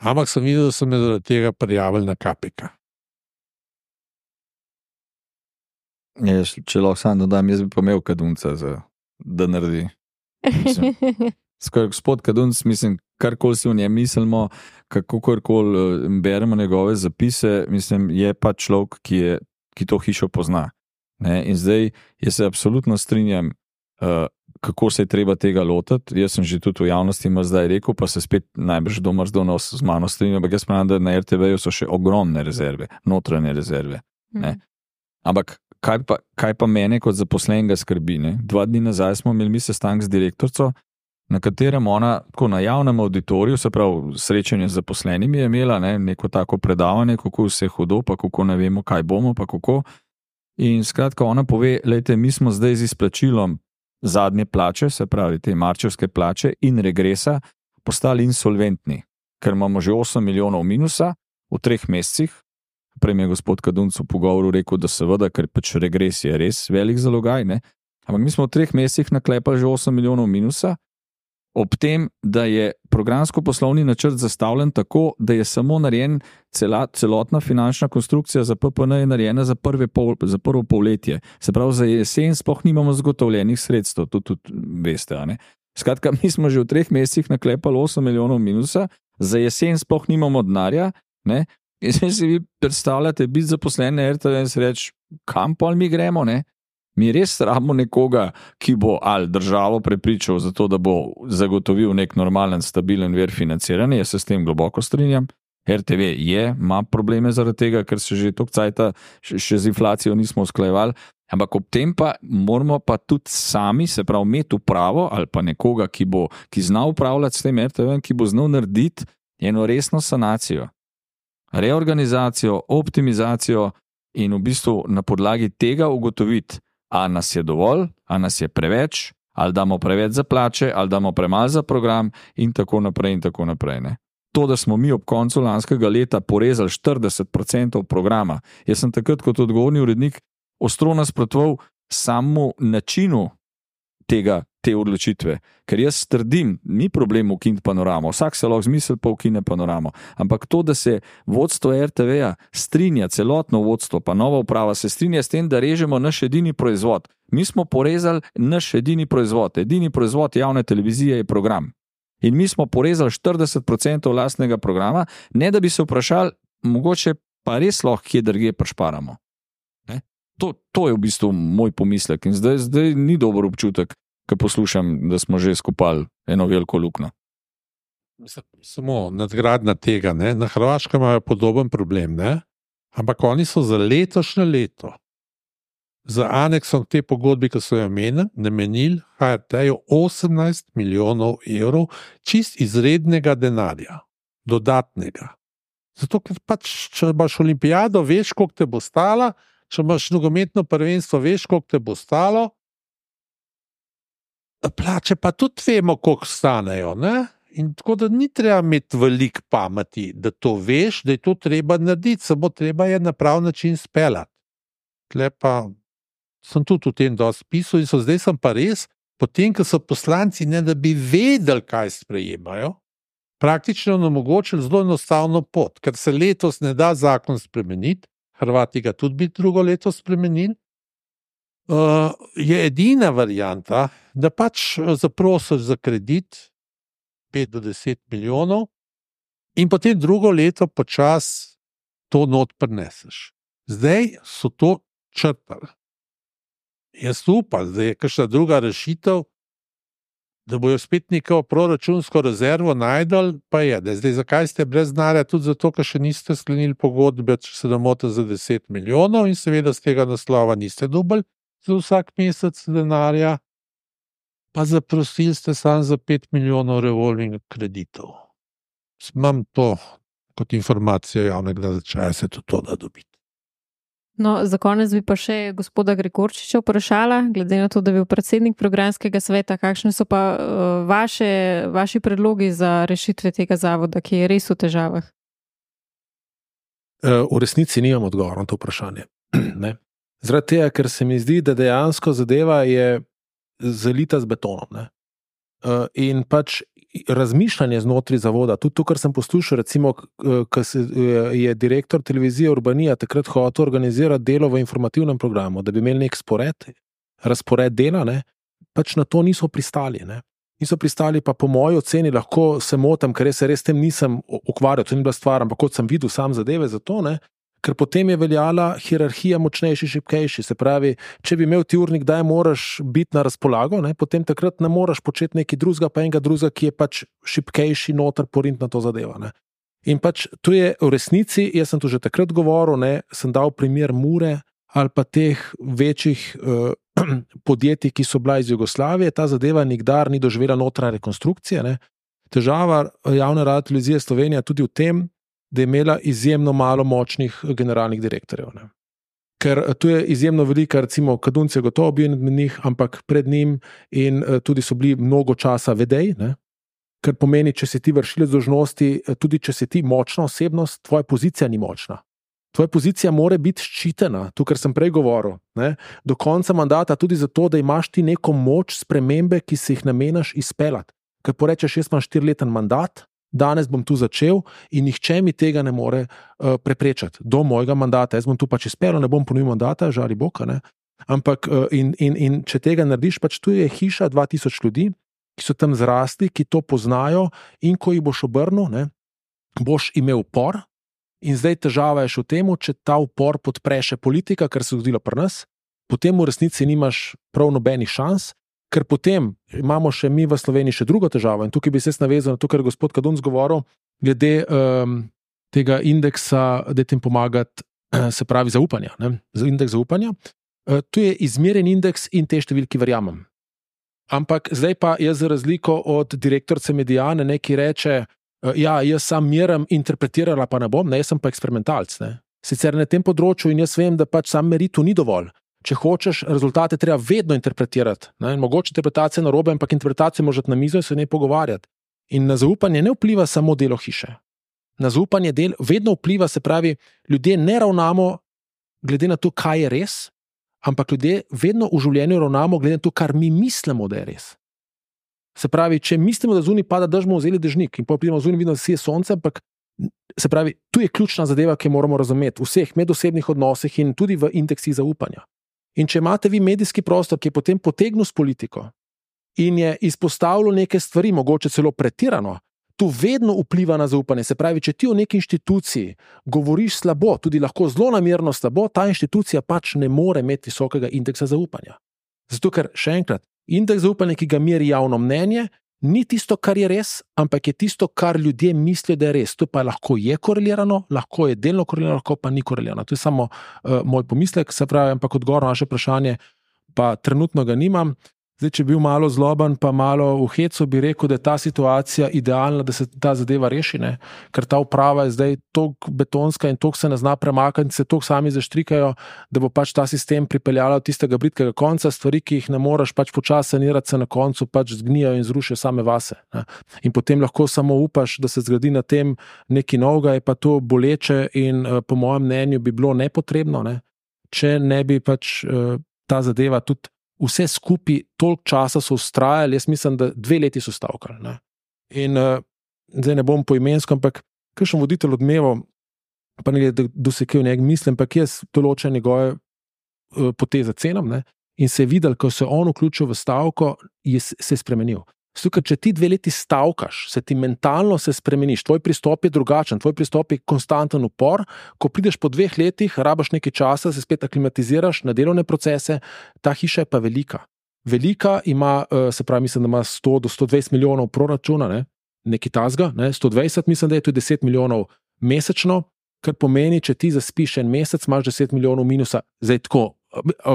ampak sem videl, da so me zaradi tega prijavili na KPK. Če lahko sam dodam, jaz bi pa imel Kadunca, da naredi. Gospod Kadunc, mislim, karkoli si o njem mislimo, kakorkoli beremo njegove zapise, mislim, je pa človek, ki to hišo pozna. Ne? In zdaj, jaz se absolutno strinjam, kako se je treba tega lotiti. Jaz sem že tudi v javnosti zdaj rekel, pa se spet najbrž domrzdono z mano strinjam, ampak jaz pravim, da na RTV-ju so še ogromne rezerve, notranje rezerve. Ne? Ampak kaj pa mene kot zaposlenega skrbi? Ne? 2 dni nazaj smo imeli sestanek z direktorico, na katerem ona tako na javnem auditoriju, se pravi srečanje z zaposlenimi, je imela neko tako predavanje, kako vse hudo, pa kako ne vemo, kaj bomo, pa kako. In skratka ona pove, lejte, mi smo zdaj z izplačilom zadnje plače, se pravi te marčevske plače in regresa, postali insolventni, ker imamo že 8 milijonov minusa v 3 mesecih. Prej mi je gospod Kadunc v pogovoru rekel, da seveda, ker pač regres je res velik zalogaj, ne? Ampak mi smo v 3 mesecih naklepali že 8 milijonov minusa, ob tem, da je programsko-poslovni načrt zastavljen tako, da je samo narejen celotna finančna konstrukcija za PPN je narejena za prvo polletje. Se pravi, za jesen sploh nimamo zagotovljenih sredstev, tudi veste, a ne? Skratka, mi smo že v 3 mesecih naklepali 8 milijonov minusa, za jesen sploh nimamo denarja, ne? In si vi predstavljate biti zaposlen na RTV in se reči, kam pol mi gremo, ne? Mi res rabimo nekoga, ki bo ali državo prepričal za to, da bo zagotovil nek normalen, stabilen vir financiranja, jaz se s tem globoko strinjam. RTV ima probleme zaradi tega, ker se že toliko cajta še z inflacijo nismo usklajevali, ampak ob tem pa moramo pa tudi sami, se pravi, imeti upravo ali pa nekoga, ki zna upravljati s tem RTV, ki bo znal narediti eno resno sanacijo. Reorganizacijo, optimizacijo in v bistvu na podlagi tega ugotoviti, a nas je dovolj, a nas je preveč, ali damo preveč za plače, ali damo premalo za program in tako naprej in tako naprej. Ne? To, da smo mi ob koncu lanskega leta porezali 40% programa, jaz sem takrat kot odgovorni urednik ostro nasprotoval samemu načinu te odločitve. Ker jaz trdim, ni problem ukiniti panoramo, vsak se lahko zmisli pa ukine panoramo, ampak to, da se vodstvo RTV-ja strinja, celotno vodstvo, pa nova uprava se strinja s tem, da režemo naš edini proizvod. Mi smo porezali naš edini proizvod javne televizije je program. In mi smo porezali 40% lastnega programa, ne da bi se vprašali, mogoče pa res lahko kje drugje prišparamo. To je v bistvu moj pomislek in zdaj ni dober občutek, ko poslušam, da smo že skupali eno veliko luknjo. Samo nadgradnja tega, ne? Na Hrvaškem imajo podoben problem, ne? Ampak oni so za letošnje leto za aneksom te pogodbi, ki so jo namenili HRT-ju 18 milijonov evrov čist izrednega denarja, dodatnega. Zato, ker pač, če imaš olimpijado, veš, koliko te bo stala, če imaš nogometno prvenstvo, veš, koliko te bo stalo, plače pa tudi vemo, koliko stanejo, ne? In tako da ni treba imeti veliko pameti, da to veš, da je to treba narediti, samo treba je na prav način speljati. Tle pa sem tudi v tem dosti pisal in zdaj sem pa res, potem, ko so poslanci, ne da bi vedeli, kaj sprejemajo, praktično omogočili zelo enostavno pot, ker se letos ne da zakon spremeniti, Hrvati ga tudi bi drugo leto spremenili, je edina varianta, da pač zaprosiš za kredit 5 do 10 milijonov in potem drugo leto počas to not prineseš. Zdaj so to črtali. Jaz upam, da je kakšna druga rešitev, da bojo spet neko proračunsko rezervo najdel, pa je. Zdaj, zakaj ste brez denarja? Tudi zato, ker še niste sklenili pogodbe, če se ne motim, za 10 milijonov in seveda z tega naslova niste dobili za vsak mesec denarja, pa zaprosili ste samo za 5 milijonov revolving kreditov. Imam to kot informacijo javnega značaja, se tudi to da dobiti. No, za konec bi pa še gospoda Gregorčiča vprašala, glede na to, da je bil predsednik programskega sveta, kakšne so pa vaši predlogi za rešitve tega zavoda, ki je res v težavah? V resnici nimam odgovora na to vprašanje. Ne? Zaradi tega, ker se mi zdi, da dejansko zadeva je zalita z betonom. Ne? In pač razmišljanje znotraj zavoda, tudi to, kar sem poslušal, recimo, ko je direktor televizije Urbanija takrat hotel organizirati delo v informativnem programu, da bi imeli nek razpored dela, ne, pač na to niso pristali. Ne. Niso pristali, pa po moji oceni lahko se motim, ker se res tem nisem ukvarjal, to ni bila stvar, ampak kot sem videl sam zadeve za to, ne, ker potem je veljala hierarhija močnejši, šibkejši. Se pravi, če bi imel ti urnik, kdaj moraš biti na razpolago, ne, potem takrat ne moraš početi nekaj drugega, pa enega drugega, ki je pač šibkejši noter porint na to zadeva. Ne. In pač to je v resnici, jaz sem to že takrat govoril, ne, sem dal primer Mure ali pa teh večjih podjetij, ki so bila iz Jugoslavije, ta zadeva nikdar ni doživela notranje rekonstrukcije. Ne. Težava javne radiotelevizije Slovenija tudi v tem, da je imela izjemno malo močnih generalnih direktorjev. Ne. Ker tu je izjemno velika, recimo Kadunc je gotovo bil med njih, ampak pred njim in tudi so bili mnogo časa vedej, ne. Ker pomeni, če si ti vršilec dolžnosti, tudi če si ti močna osebnost, tvoja pozicija ni močna. Tvoja pozicija mora biti ščitena, to, kar sem prej govoril, ne, do konca mandata, tudi zato, da imaš ti neko moč spremembe, ki si jih namenaš izpeljati. Ker porečeš, jaz imam 4-leten mandat, danes bom tu začel in nihče mi tega ne more preprečati do mojega mandata. Jaz bom tu pač izpeljal, ne bom ponovil mandata, žali Boga, ne. Ampak in če tega narediš, pač tu je hiša 2000 ljudi, ki so tam zrasli, ki to poznajo in ko jih boš obrnil, ne, boš imel upor in zdaj težava je še v tem, če ta upor podpre še politika, kar se je zgodilo pri nas, potem v resnici nimaš prav nobenih šans, ker potem imamo še mi v Sloveniji še drugo težavo in tukaj bi se navezal na to, kar je gospod Kadunc govoril, glede tega indeksa, da tem pomagati, se pravi zaupanja. Ne? Indeks zaupanja. Tu je izmeren indeks in te številki verjamem. Ampak zdaj pa jaz za razliko od direktorice Mediane, ne, ki reče, ja, jaz sam merim, interpretirala pa ne bom, ne, jaz sem pa eksperimentalc. Ne? Sicer na tem področju in jaz vem, da pač sam meritu ni dovolj. Če hočeš, rezultate treba vedno interpretirati. Ne? Mogoče interpretacija narobe, ampak interpretacijo možeš na mizo in se ne pogovarjati. In na zaupanje ne vpliva samo delo hiše. Na zaupanje vedno vpliva, se pravi, ljudje ne ravnamo glede na to, kaj je res, ampak ljudje vedno v življenju ravnamo glede na to, kar mi mislimo, da je res. Se pravi, če mislimo, da zunaj pada dež, bomo vzeli dežnik in potem pridemo zunaj, vidimo, da sije sonce, ampak se pravi, tu je ključna zadeva, ki moramo razumeti v vseh medosebnih odnosih in tudi v indeksih zaupanja. In če imate vi medijski prostor, ki je potem potegnil s politiko in je izpostavljal neke stvari, mogoče celo pretirano, tu vedno vpliva na zaupanje. Se pravi, če ti o neki inštituciji govoriš slabo, tudi lahko zelo namerno slabo, ta inštitucija pač ne more imeti visokega indeksa zaupanja. Zato, ker še enkrat, indeks zaupanja, ki ga meri javno mnenje, ni tisto, kar je res, ampak je tisto, kar ljudje mislijo, da je res. To pa lahko je korelirano, lahko je delno korelirano, lahko pa ni korelirano. To je samo moj pomislek, se pravi, ampak odgovor na naše vprašanje pa trenutno ga nimam. Zdaj, če bi bil malo zloben, pa malo v hecu, bi rekel, da je ta situacija idealna, da se ta zadeva reši, ne? Ker ta uprava je zdaj toliko betonska in toliko se ne zna premakati, se toliko sami zaštrikajo, da bo pač ta sistem pripeljala od tistega britkega konca, stvari, ki jih ne moreš pač počasi sanirati, se na koncu pač zgnijo in zrušijo same vase. Ne? In potem lahko samo upaš, da se zgradi na tem nekaj novega, je pa to boleče in po mojem mnenju bi bilo nepotrebno, ne? Če ne bi pač ta zadeva tudi vse skupaj toliko časa so ustrajali, jaz mislim, da 2 leti so stavkali. Ne? In zdaj ne bom poimensko, ampak kakšen voditelj Odmevov, pa ne glede, dosekel njeg mislim, ampak jaz določen njegove poteze cenam, ne? In se je videl, ko se on vključil v stavko, se je spremenil. Ker če ti 2 leti stavkaš, se ti mentalno se spremeniš, tvoj pristop je drugačen, tvoj pristop je konstanten upor, ko prideš po 2 letih, rabaš nekaj časa, se spet aklimatiziraš na delovne procese, ta hiša je pa velika. Velika ima, se pravi, mislim, da ima 100 do 120 milijonov proračuna, ne? Nekaj tazga, ne? 120, mislim, da je tudi 10 milijonov mesečno, kar pomeni, če ti zaspiš en mesec, imaš 10 milijonov minusa, zdaj tako,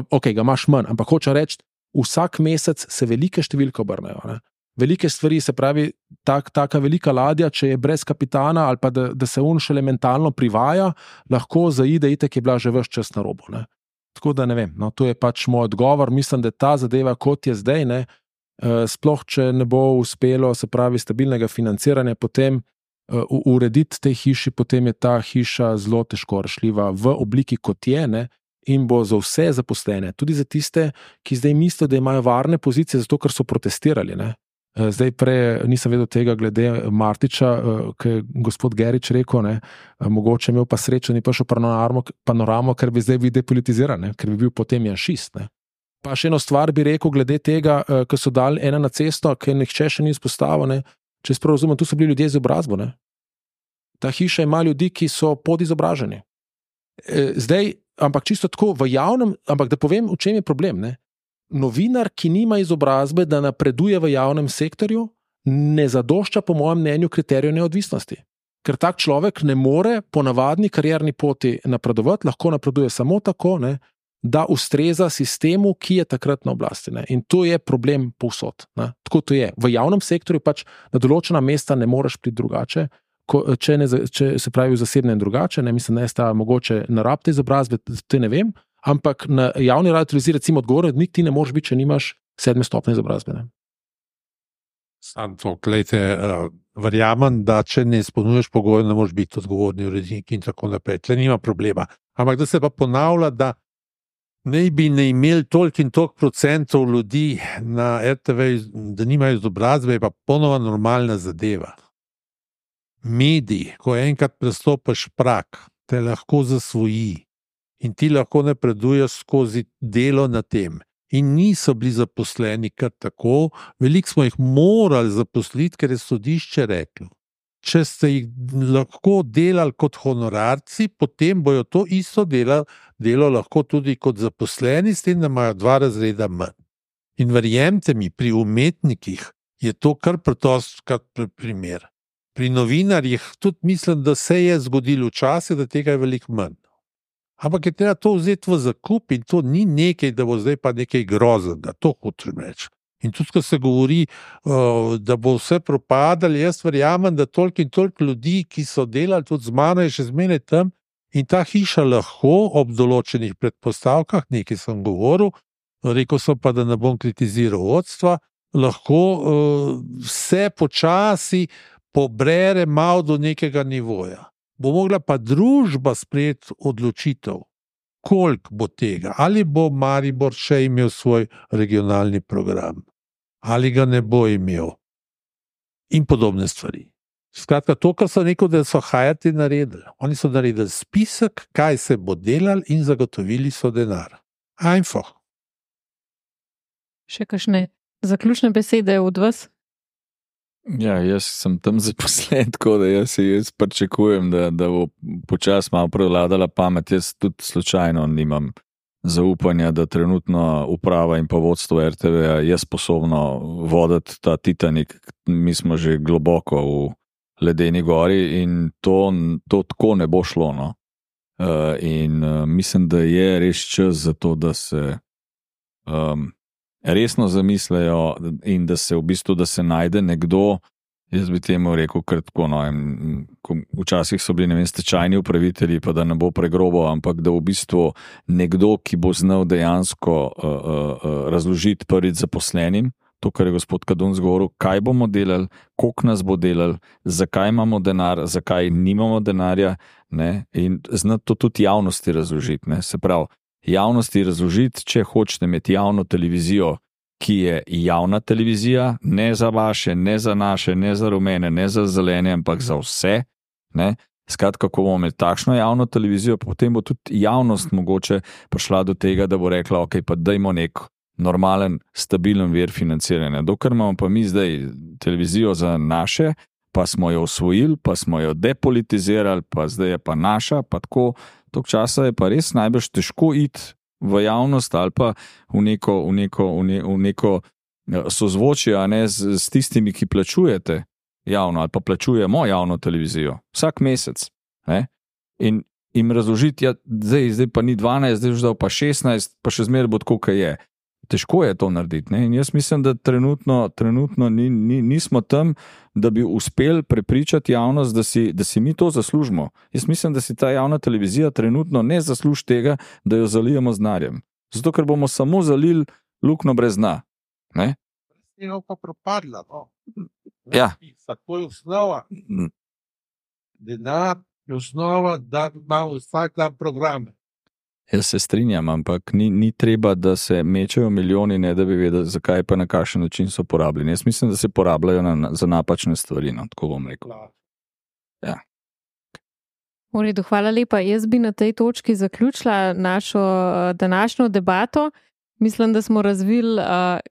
ok, ga imaš manj, ampak hoče reči, vsak mesec se velike številke obrnejo, ne? Velike stvari, se pravi, taka velika ladja, če je brez kapitana ali pa da se on šele mentalno privaja, lahko zaide, itek je bila že ves čas na robu. Ne? Tako da ne vem, no, to je pač moj odgovor. Mislim, da ta zadeva, kot je zdaj, ne, sploh če ne bo uspelo, se pravi, stabilnega financiranja, potem urediti tej hiši, potem je ta hiša zelo težko rešljiva v obliki, kot je, ne, in bo za vse zaposlene, tudi za tiste, ki zdaj mislijo, da imajo varne pozicije, zato ker so protestirali, ne. Zdaj prej nisem vedel tega glede Martiča, ki je gospod Gerič rekel, ne, mogoče imel pa srečo, ni prišel panoramo, ker bi zdaj bil depolitiziran, ne, ker bi bil potem janšist. Ne. Pa še eno stvar bi rekel glede tega, ko so dali ena na cesto, ki nihče še ni izpostavil, ne, če se prav razumem, tu so bili ljudje z izobrazbo. Ne. Ta hiša ima ljudi, ki so podizobraženi. Zdaj, ampak čisto tako v javnem, ampak da povem, v čem je problem, ne. Novinar, ki nima izobrazbe, da napreduje v javnem sektorju, ne zadošča po mojem mnenju kriteriju neodvisnosti. Ker tak človek ne more po navadni karierni poti napredovati, lahko napreduje samo tako, ne, da ustreza sistemu, ki je takrat na oblasti. Ne. In to je problem povsod. Ne. Tako to je. V javnem sektorju pač na določena mesta ne moreš priti drugače, če se pravi v zasebnem drugače, ne, mislim, da je sta mogoče na rabte izobrazbe, te ne vem, ampak na javni radioteleviziji recimo odgovornik ti ne moreš biti, če nimaš 7. stopnje izobrazbe. Sam to, glejte, verjamem, da če ne izpolnjuješ pogojev, ne moreš biti odgovorni urednik in tako naprej. Tle nima problema. Ampak da se pa ponavlja, da ne bi ne imeli toliko in toliko procentov ljudi na RTV, da nimajo izobrazbe, je pa ponova normalna zadeva. Mediji, ko enkrat prestopiš prag, te lahko zasvoji. In ti lahko napreduješ skozi delo na tem. In niso bili zaposleni kar tako, veliko smo jih morali zaposliti, ker je sodišče reklo. Če ste jih lahko delali kot honorarci, potem bojo to isto delo lahko tudi kot zaposleni, s tem, da imajo 2 razreda manj. In verjemite mi, pri umetnikih je to kar preprost primer. Pri novinarjih tudi mislim, da se je zgodilo včasih, da tega je veliko manj. Ampak je treba to vzeti v zakup in to ni nekaj, da bo zdaj pa nekaj groznega, to hočem reči. In tudi, ko se govori, da bo vse propadali, jaz verjamem, da toliko in toliko ljudi, ki so delali tudi z mano, je še zmeraj tam in ta hiša lahko ob določenih predpostavkah, nekaj sem govoril, rekel sem pa, da ne bom kritiziral vodstva, lahko vse počasi pobrere malo do nekega nivoja. Bo mogla pa družba sprejeti odločitev, koliko bo tega, ali bo Maribor še imel svoj regionalni program, ali ga ne bo imel in podobne stvari. Skratka, to, kar so rekel, da so Hajati naredili. Oni so naredili spisek, kaj se bo delal in zagotovili so denar. Einfach. Še kakšne zaključne besede od vas? Ja, jaz sem tam zaposlen, tako da jaz pričakujem, da bo počasi malo prevladala pamet. Jaz tudi slučajno nimam zaupanja, da trenutno uprava in pa vodstvo RTV je sposobno voditi ta Titanik. Mi smo že globoko v ledeni gori in to tako ne bo šlo. No? In mislim, da je res čas za to, da se resno zamislejo in da se v bistvu, da se najde nekdo, jaz bi temu rekel kratko, no, včasih so bili, ne vem, stečajni upravitelji, pa da ne bo pregrobo, ampak da v bistvu nekdo, ki bo znal dejansko razložiti prvič zaposlenim, to, kar je gospod Kadunc govoril, kaj bomo delali, koliko nas bo delali, zakaj imamo denar, zakaj nimamo denarja, ne, in znati to tudi javnosti razložiti, ne, se pravi, javnosti razložiti, če hočete imeti javno televizijo, ki je javna televizija, ne za vaše, ne za naše, ne za rumene, ne za zelene, ampak za vse. Ne? Skratka, ko bomo imeli takšno javno televizijo, potem bo tudi javnost mogoče prišla do tega, da bo rekla, ok, pa dajmo nek normalen, stabilen vir financiranja. Dokler imamo pa mi zdaj televizijo za naše, pa smo jo osvojili, pa smo jo depolitizirali, pa zdaj je pa naša, pa tako, tok časa je pa res najbrž težko iti v javnost ali pa v neko sozvočje, a ne s tistimi, ki plačujete javno ali pa plačujemo javno televizijo vsak mesec. Ne? In jim razložiti, ja, zdaj pa ni 12, zdaj už dal pa 16, pa še zmeraj bo tako, kaj je. Težko je to narediti. Ne? In jaz mislim, da trenutno nismo tam, da bi uspeli prepričati javnost, da si mi to zaslužimo. Jaz mislim, da si ta javna televizija trenutno ne zasluži tega, da jo zalijemo z denarjem. Zato, ker bomo samo zalili luknjo brez dna. Ne? Je pa propadla. No? Ja. Tako je osnova. Denar je osnova, da imamo vsak dan programe. Jaz se strinjam, ampak ni treba, da se mečejo milijoni, ne da bi vedeli, zakaj pa na kakšen način so porabljeni. Jaz mislim, da se porabljajo za napačne stvari, no, tako bom rekel. Ja. V redu, hvala lepa. Jaz bi na tej točki zaključila našo današnjo debato. Mislim, da smo razvili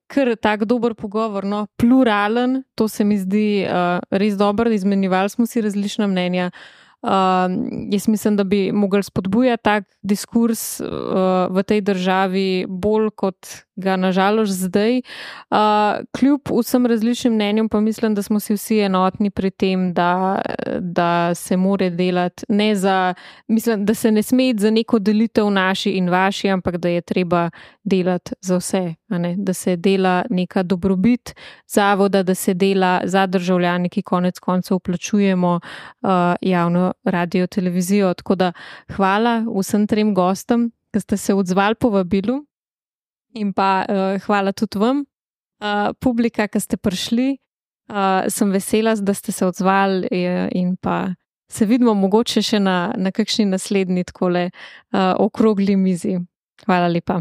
kar tak dober pogovor, no, pluralen, to se mi zdi res dobro, izmenjevali smo si različna mnenja. Jaz mislim, da bi mogli spodbujati tak diskurs v tej državi bolj, kot ga nažalost zdaj. Kljub vsem različnim mnenjem pa mislim, da smo si vsi enotni pri tem, da se more delati mislim, da se ne sme iti za neko delitev naši in vaši, ampak da je treba delati za vse, a ne? Da se dela neka dobrobit zavoda, da se dela za državljane, ki konec koncev plačujemo javno radio televizijo. Tako da hvala vsem trem gostom, ki ste se odzvali povabilu. In pa hvala tudi vam, publika, ki ste prišli. Sem vesela, da ste se odzvali in pa se vidimo mogoče še na kakšni naslednji takole okrogli mizi. Hvala lepa.